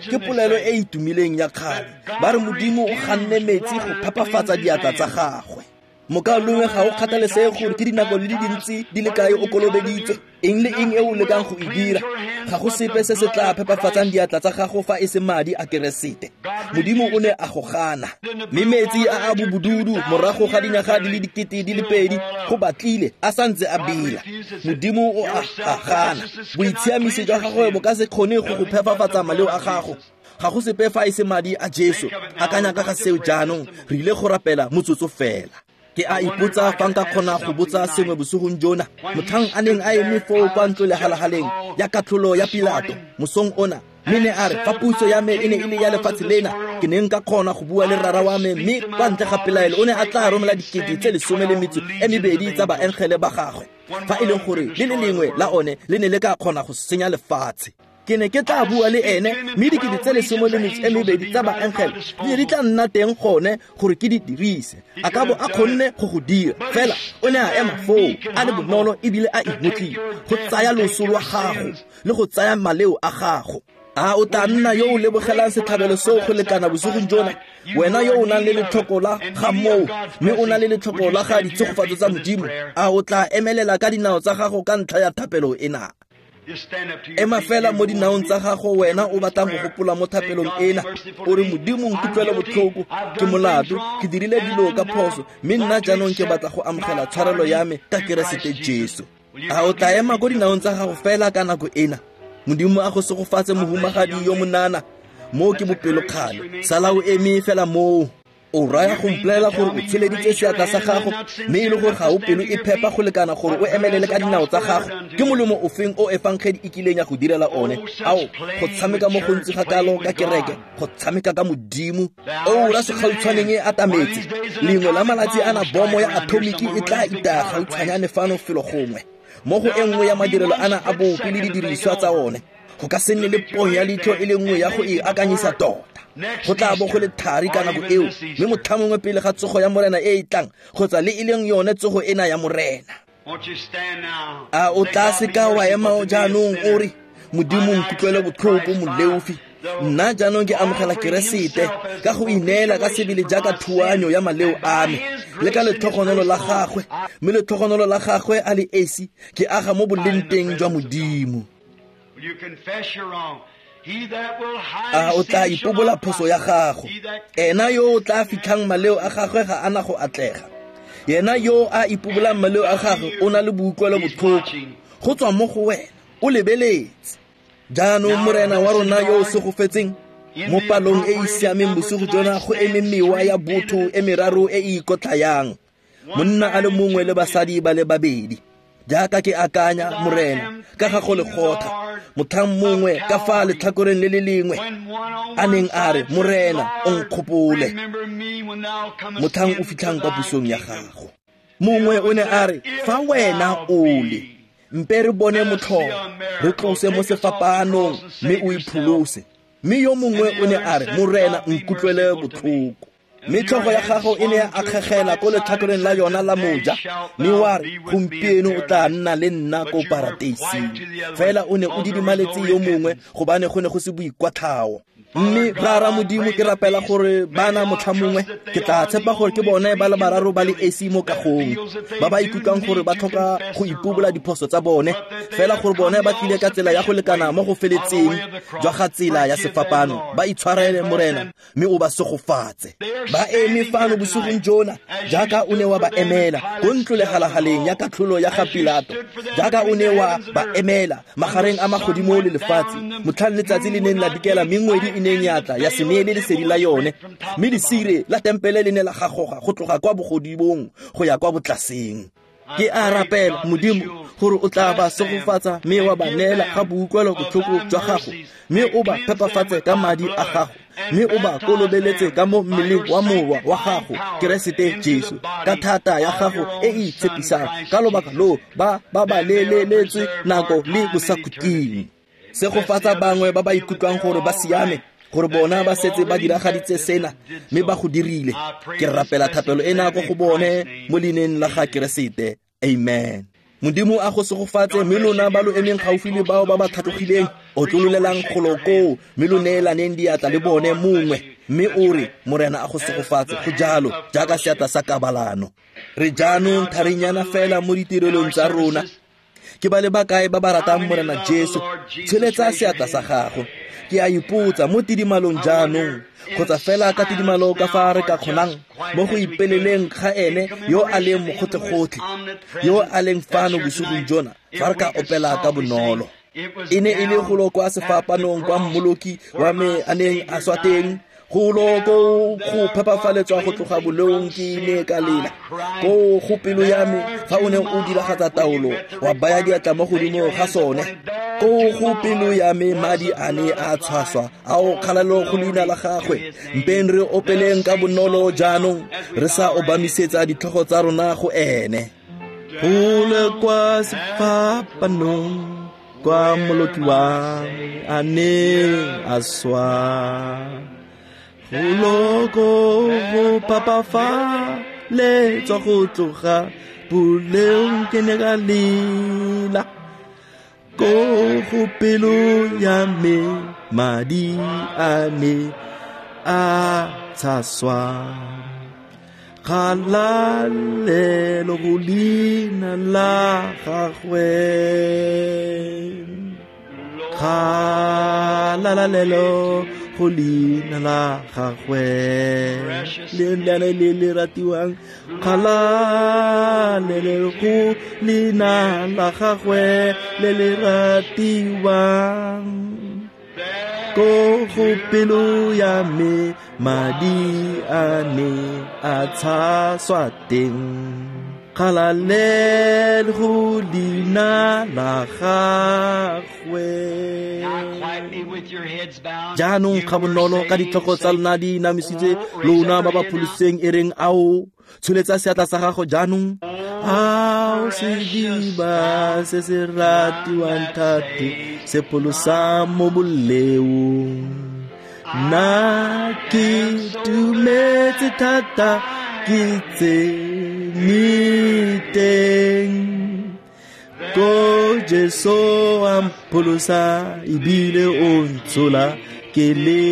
Speaker 1: Ke polelo e e itumileng ya kgale. Ba re Modimo o ganne metsi go phepafatsa diatla tsa gagwe. Mokaulengwe, ga o kgathalesege gore ke dinako di le dintsi di le kae o kolobeditswe, eng le eng e o lekang go e dira, ga go sepe se se tla phepafatsang diatla tsa gago fa e se madi a Keresete. Modimo o ne a go gana. Mme metsi a a bobududu morago ga dinyaga di le 2000 go batlile a santse a bela. Modimo o a gana. Boitshiamiso jwa gagwe bo ka se kgone go go phepafatsa maleo a gago. Ga go sepe fa e se madi a Jesu. Akanya ka ga seo jaanong. Re ile go rapela motsotso fela. Ke a ipotsa fa nka kgona go botsa sengwe bosigong jona. Motlhang a neng a eme foo kwa ntlo lehalahaleng ya katlholo ya Pilato mosong ona, mme ne a re, fa puso ya me e ne e le ya lefatshe lena, ke ne nka kgona go bua le rara wa me, mme kwa ntle ga pelaelo o ne a tla romela 12,000 tsa baengele ba gagwe, fa e leng gore le le lengwe la one le ne le ka kgona go senya lefatshe. Ke ne ke tla bua le ene, mme 12,000 tsa baengele di ne di tla nna teng gone gore ke di dirise. A ka bo a kgonne go go dira, fela o ne a ema foo a le bonolo ebile a imotlile go tsaya loso lwa gago le go tsaya maleo a gago. A o tla nna yo o lebogelang setlhabelo seo go lekana bosigong jona, wena yo o nang le letlhoko la ga moo, mme o na le letlhoko la ga ditshegofatso tsa Modimo? A o tla emelela ka dinao tsa gago ka ntlha ya thapelo ena? Ema fela mo dinaong tsa gago, wena o batlang go gopola mo thapelong ena. O re, Modimo nkutlwele botlhoko, ke molato, ke dirile dilo ka phoso, mme nna jaanong ke batla go amogela tshwarelo ya me ka Keresete Jesu. A o tla ema ko dinaong tsa gago fela ka nako ena? Modimo a go segofatse, mohumagadi yo monana. Moo ke bopelokgale. Sala o eme fela moo. O raya go mpolelela gore o tsholeditse seatla sa gago, mme e le gore ga o pelo e phepa go lekana gore o emelele ka dinao tsa gago. Ke molemo ofeng o efangedi e kileng ya go direla one? Ao, go tshameka mo gontsi ga kalo ka kereke, go tshameka ka Modimo. Oura segautshwaneng e atametse. Lengwe la malatsi ana bomo ya atomiki e tla itaya gautshwanyane fano felo gongwe, mo go e nngwe ya madirelo ana a bopi le didiriswa tsa one. Go ka se nne le ponyo ya leitlho e le nngwe ya go e akanyisa tota. Go tla bo go le thari ka nako eo, mme motlha mongwe pele ga tsogo ya Morena e e tlang, kgotsa le e leng yone tsogo ena ya Morena. A o tla seka wa ema jaanong o re, Modimo nkutlwele botlhoko moleofi, nna jaanong ke amogela Keresete ka go ineela ka sebele jaaka thuanyo ya maleo a me le ka letlhogonolo la gagwe, mme letlhogonolo la gagwe a le esi ke aga mo boleng teng jwa Modimo. A o tla ipobola phoso ya gago? Ena yo o tla fitlhang maleo a gagwe ga ana go atlega. Yena yo a ipobolang maleo a gagwe o na le boutlwelo botlhoko go tswa mo go wena, o lebeletse. Jaanong Morena wa rona yo o segofetseng, mo palong e e siameng bosigo jona go eme mewa ya botho e meraro e e ikotlhayang, monna a le mongwe le basadi ba le babedi. Jaaka ke akanya, Morena, ka ga go lekgotla, motlhang mongwe ka fa letlhakoreng le le lengwe a neng a re, Morena, o nkgopole motlhang o fitlhang kwa pusong ya gago. Mongwe o ne a re, fa wena o le, mpe re bone motlholo, re tlose mo sefapanong mme o ipholose. Mme yo mongwe o ne a re, Morena, nkutlwele botlhoko. Mme tlhogo ya gago e ne ya akgegela ko letlhakoreng la yona la moja, mme wa re, gompieno o tla nna le nna ko parateising. Fela o ne o didimaletse yo mongwe gobane go ne go se boikwatlhao. Mme Rara Modimo, ke rapela gore bana motlha mongwe ke tla tshepa gore ke bone ba le bararo ba le esi mo kagong ba ba ikutlwang gore ba tlhoka go ipobola diphoso tsa bone, fela gore bone ba tlile ka tsela ya go lekana mo go feletseng jwa ga tsela ya sefapano. Ba itshwarele, Morena, mme o ba segofatse. Ba eme fano bosigong jona jaaka o ne wa ba emela ko ntlo legalagaleng ya katlholo ya ga Pilato, jaaka o ne wa ba emela magareng a magodimo le lefatshe motlhang letsatsi le neng la dikela mme ngwedi e neng ya tla ya se neele lesedi la yone, mme lesire la tempele le ne la gagoga go tloga kwa bogodimong go ya kwa botlaseng. Ke a rapela, Modimo, gore o tla ba segofatsa mme wa ba neela ga boutlwelo botlhoko jwa gago, mme o ba phepafatse ka madi a gago, mme o ba kolobeletse ka mo mmeleng wa Morwa wa gago, Keresete Jesu, ka thata ya gago e e itshepisang. Ka lobaka loo ba ba leleletswe nako le bosakhutleng. Segofatsa bangwe ba ba ikutlwang gore ba siame, gore bona ba setse ba diragaditse sena mme ba go dirile. Ke rapela thapelo ena ko go bone mo leineng la ga Keresete. Amen. Modimo a go segofatse, mme lona ba lo emeng gaufi le bao ba ba tlhatlogileng, o tlololelang golo koo, mme lo neelaneng diatla le bone mongwe, mme o re, Morena a go segofatse. Go jalo, jaaka seatla sa kabalano. Re jaanong tharinyana fela mo ditirelong tsa rona. Ke ba le bakae ba ba ratang Morena Jesu? Tsholetsa seatla sa gago. Ke a ipotsa mo tidimalong jaanong, kgotsa fela ka tidimalo ka fa re ka kgonang mo go ipeleleng ga ene yo a leng mogotlhe-gotlhe, yo a leng fano bosigong jona, fa re ka opela ka bonolo. E ne e le golo kwa sefapanong kwa Mmoloki wa me a neng a swa teng, golo ko go phepafaletswa go tloga boleong ke ne ka lela ko go pelo ya me fa o ne o diragatsa taolo wa baya diatla mo godimo ga sone. Ko go pelo ya me madi a ne a tshwaswa, ao kgalalo go leina la gagwe. Mpeng re opeleng ka bonolo jaanong, re sa obamisetsa ditlhogo tsa rona go ene. Gole kwa sefapanong kwa Mmoloki wa a neng a swa, goloko go phapafaletswa go tloga boleong ke ne ka lela, ko go pelo ya me madi a ne a tshaswa. Kgalalelo go leina la gagwe, kgalalelo go leina la gagwe, le le le le ratiwang. Kgalalelo go leina la gagwe le le ratiwang. Ko go pelo ya me madi a ne a tshaswa teng, kgalalelo go leina la gagwe. Jaanong ga bonolo ka ditlhogo tsa lona di inamisitswe, lona ba ba pholositsweng e reng ao, tsholetsa seatla sa gago jaanong. Ao sediba se se ratiwang thate, se pholosang mo boleong. Nna ke dumetse thata, ke tsene teng. Ko Jesu a mpholosa ebile o ntshola ke le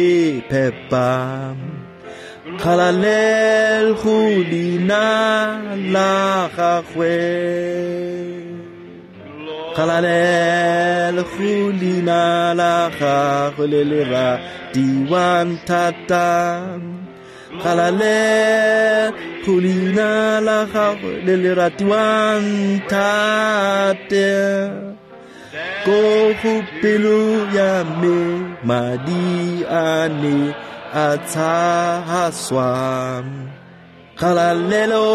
Speaker 1: phepa. Kgalalelo go leina la gagwe. Kgalalelo go leina la gagwe le le ratiwang thata. Kgalalelo go leina la gagwe le le ratiwang thata. Ko go pelo ya me madi a ne a tshaswa. Kgalalelo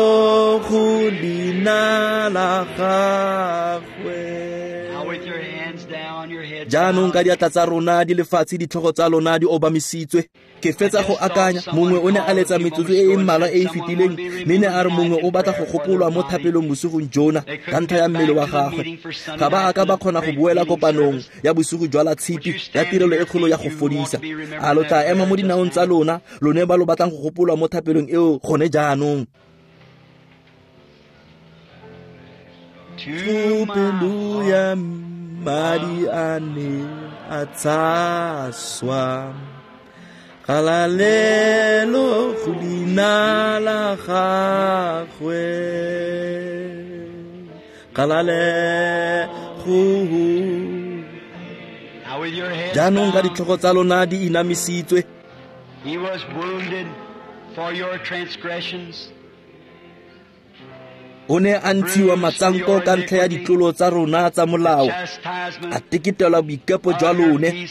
Speaker 1: go leina la gagwe. Jaanong ka diatla tsa rona di lefatshe, ditlhogo tsa lona di obamisitswe. Ke fetsa go akanya, mongwe o ne a letsa metsotso e e mmalwa e e fetileng, mme ne a re mongwe o batla go gopolwa mo thapelong bosigong jona ka ntlha ya mmele wa gagwe. Ga ba a ka ba kgona go boela kopanong ya bosigo jwa la tshipi ya tirelo e kgolo ya go fodisa. A lo tla ema mo dinaong tsa lona, lone ba lo batlang go gopolwa mo thapelong eo gone jaanong? Pelo ya madi a ne a tshaswa. Kgalalelo go leina la gagwe. Kgalalelo. Jaanong ka ditlhogo tsa lona di inamisitswe.
Speaker 2: He was wounded for your transgressions.
Speaker 1: O ne a ntshiwa matsanko ka ntlha ya ditlolo tsa rona tsa molao, a teketelwa boikepo jwa lone.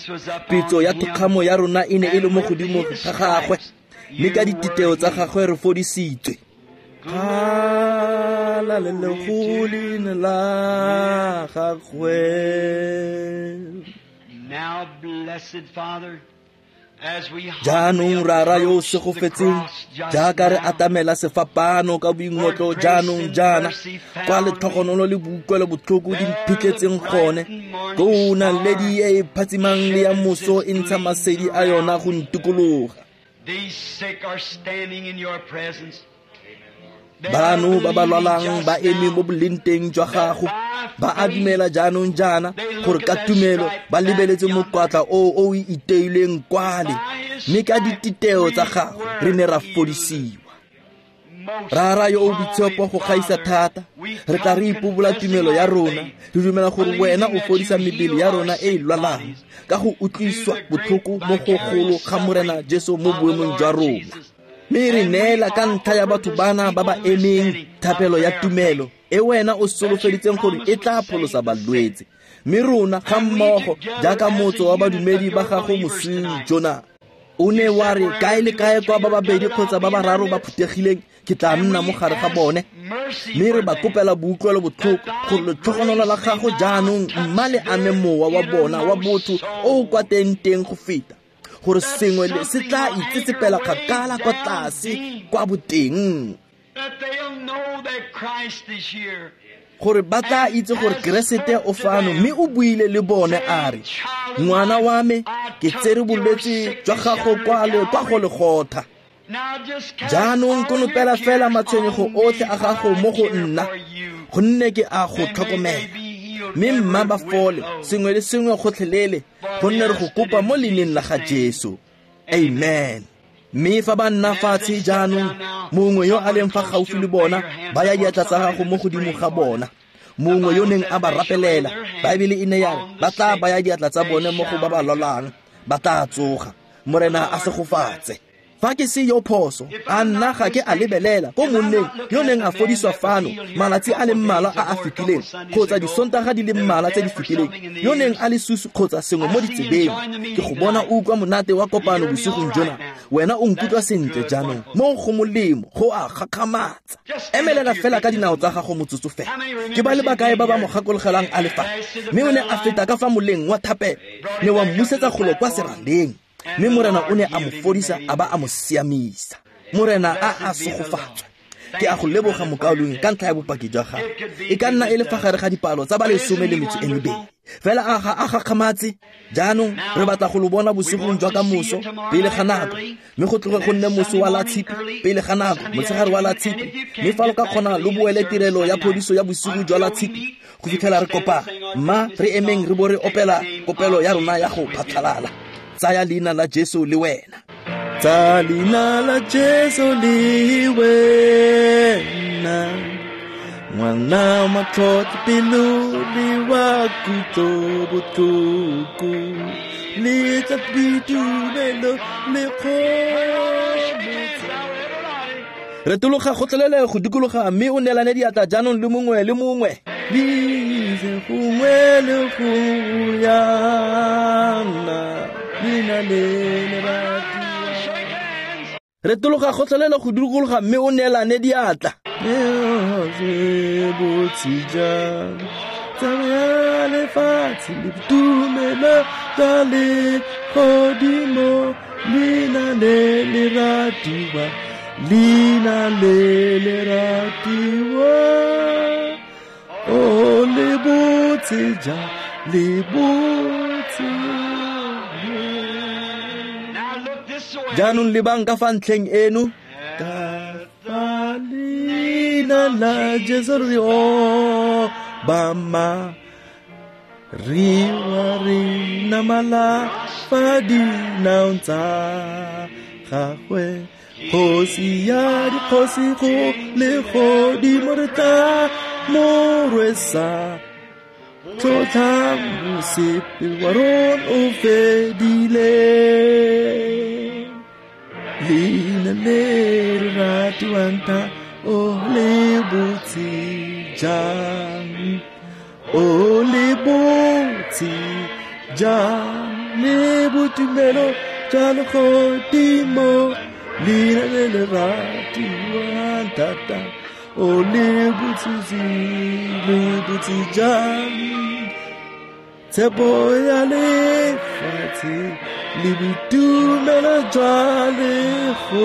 Speaker 1: Pitso ya thokgamo ya rona e ne e le mo godimo ga gagwe, mme ka dititeo tsa gagwe re fodisitswe. Kgalalelo go leina la gagwe.
Speaker 2: Now, blessed Father,
Speaker 1: Jaanong Rara yo o segofetseng, jaaka re atamela sefapano ka boingotlo jaanong jaana, kwa letlhogonolo le boutlwelo botlhoko di mphitlhetseng gone, koo naledi e e phatsimang le ya moso e ntsha masedi a yona go ntikologa. Bano ba ba lwalang ba eme mo bolenteng jwa gago, ba a dumela jaanong jaana gore ka tumelo ba lebeletse mokwatla o o iteileng kwale, mme ka dititeo tsa gago re ne ra fodisiwa. Rara yo o boitshepo go gaisa thata, re tla re ipobola tumelo ya rona, re dumela gore wena o fodisa mebele ya rona e e lwalang ka go utlwiswa botlhoko mo go golo ga Morena Jesu mo boemong jwa rona. Mme re neela ka ntlha ya batho bana ba ba emeng thapelo ya tumelo e wena o solofeditseng gore e tla pholosa balwetse. Mme rona ga mmogo jaaka motso wa badumedi ba gago mosing jona, o ne wa re kae le kae kwa ba babedi kgotsa ba bararo ba phuthegileng, ke tla nna mo gare ga bone. Mme re ba kopela boutlwelo botlhoko gore letlhogonolo la gago jaanong mma le ame mowa wa bona wa botho o o kwa teng-teng go feta, gore sengwe le se tla itsetsepela kgakala kwa tlase kwa boteng, gore ba tla itse gore Keresete o fano, mme o buile le bone a re, ngwana wa me, ke tsere bolwetse jwa gago kwa le kwa go legotha. Jaanong konopela fela matshwenyego otlhe a gago mo go nna, gonne ke a go tlhokomela. Mme mma ba fole sengwe le sengwe gotlhelele, gonne re go kopa mo leineng la ga Jesu. Amen. Mme fa ba nna fatshe jaanong, mongwe yo a leng fa gaufi le bona, ba ya diatla tsa gago mo godimo ga bona. Mongwe yo neng a ba rapelela, Baebele e ne ya re ba tla baya diatla tsa bone mo go ba ba lwalang, ba tla tsoga. Morena a segofatse. Fa ke se yo phoso, a nna ga ke a lebelela ko monneng yo neng a fodiswa fano malatsi a le mmalwa a a fetileng, kgotsa disontaga di le mmalwa tse di fetileng, yo neng a le susu kgotsa sengwe mo ditsebeng. Ke go bona o utlwa monate wa kopano bosigong jona. Wena o nkutlwa sentle jaanong, mo go molemo, go a gakgamatsa. Emelela fela ka dinao tsa gago motsotso fela. Ke ba le bakae ba ba mo gakologelang a le fa, mme o ne a feta ka fa moleng wa thapelo, ne wa mmusetsa golo kwa seraleng. Mme Morena o ne a mo fodisa a ba a mo siamisa. Morena a a segofatswe. Ke a go leboga mokaulengwe ka ntlha ya bopaki jwa gago. E ka nna e le fa gare ga dipalo tsa ba 12. Fela a ga a gakgamatse. Jaanong re batla go lo bona bosigong jwa ka moso pele ga nako, mme go tloge go nne moso wa la tshipi pele ga nako, motshegare wa la tshipi. Mme fa lo ka kgona lo boele tirelo ya phodiso ya bosigo jwa la tshipi go fitlhela re kopana, mma re emeng re bo re opela kopelo ya rona ya go phatlhalala. Tsaya leina la Jesu le wena. Tsa leina la Jesu le wena, ngwana matlhotlho pelo le wa kutlo botlhoko, le tla boitumelo le kgomotso. Retologa gotlhelele go dikologa mme o neelane diatla jaanong le mongwe le mongwe. Lise gongwe le go yana, leina le le ratiwang. Retologa gotlhelele go dikologa mme o neelane diatla. Botse jang tsamaya lefatshe le boitumelo jwa legodimo, leina le le ratiwa, leina le le ratiwa. O le botse jang, le botse. Jaanong lebang ka fa ntlheng eno. Ka fa leina la Jesu re obama, re wa re namala fa dinaong tsa gagwe. Kgosi ya dikgosi go legodimo re tla mo rwesa, tlotla mosepele wa rona o fedile. Leina le le ratiwang thata, o le botse jang, o le botse jang, le boitumelo jwa legodimo, leina le le ratiwang thata, o le botse, le botse jang. Tshepo ya lefatshe le boitumelo jwa legodimo.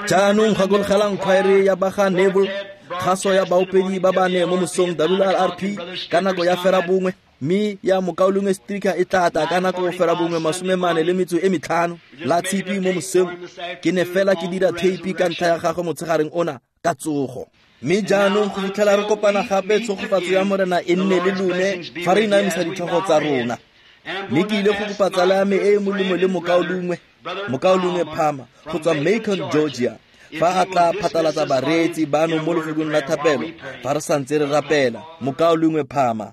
Speaker 1: Jaanong gakologelang khwaere ya ba ga Neville, kgaso ya baopedi ba bane mo mosong WRRP ka nako ya 9:30, mme ya mokaulengwe Stricker e tla tla ka nako 9:45 la tshipi mo mosong. Ke ne fela ke dira theipi ka ntlha ya gagwe motshegareng ona ka tsogo. Mme jaanong go fitlhela re kopana gape, tshegofatso ya Morena e nne le lone fa re inamisa ditlhogo tsa rona. Mme ke ile go kopa tsala ya me e e molemo le mokaulengwe Palmer go tswa Macon, Georgia, fa a tla phatlalatsa bareetsi bano mo lefokong la thapelo fa re santse re rapela. Mokaulengwe Palmer.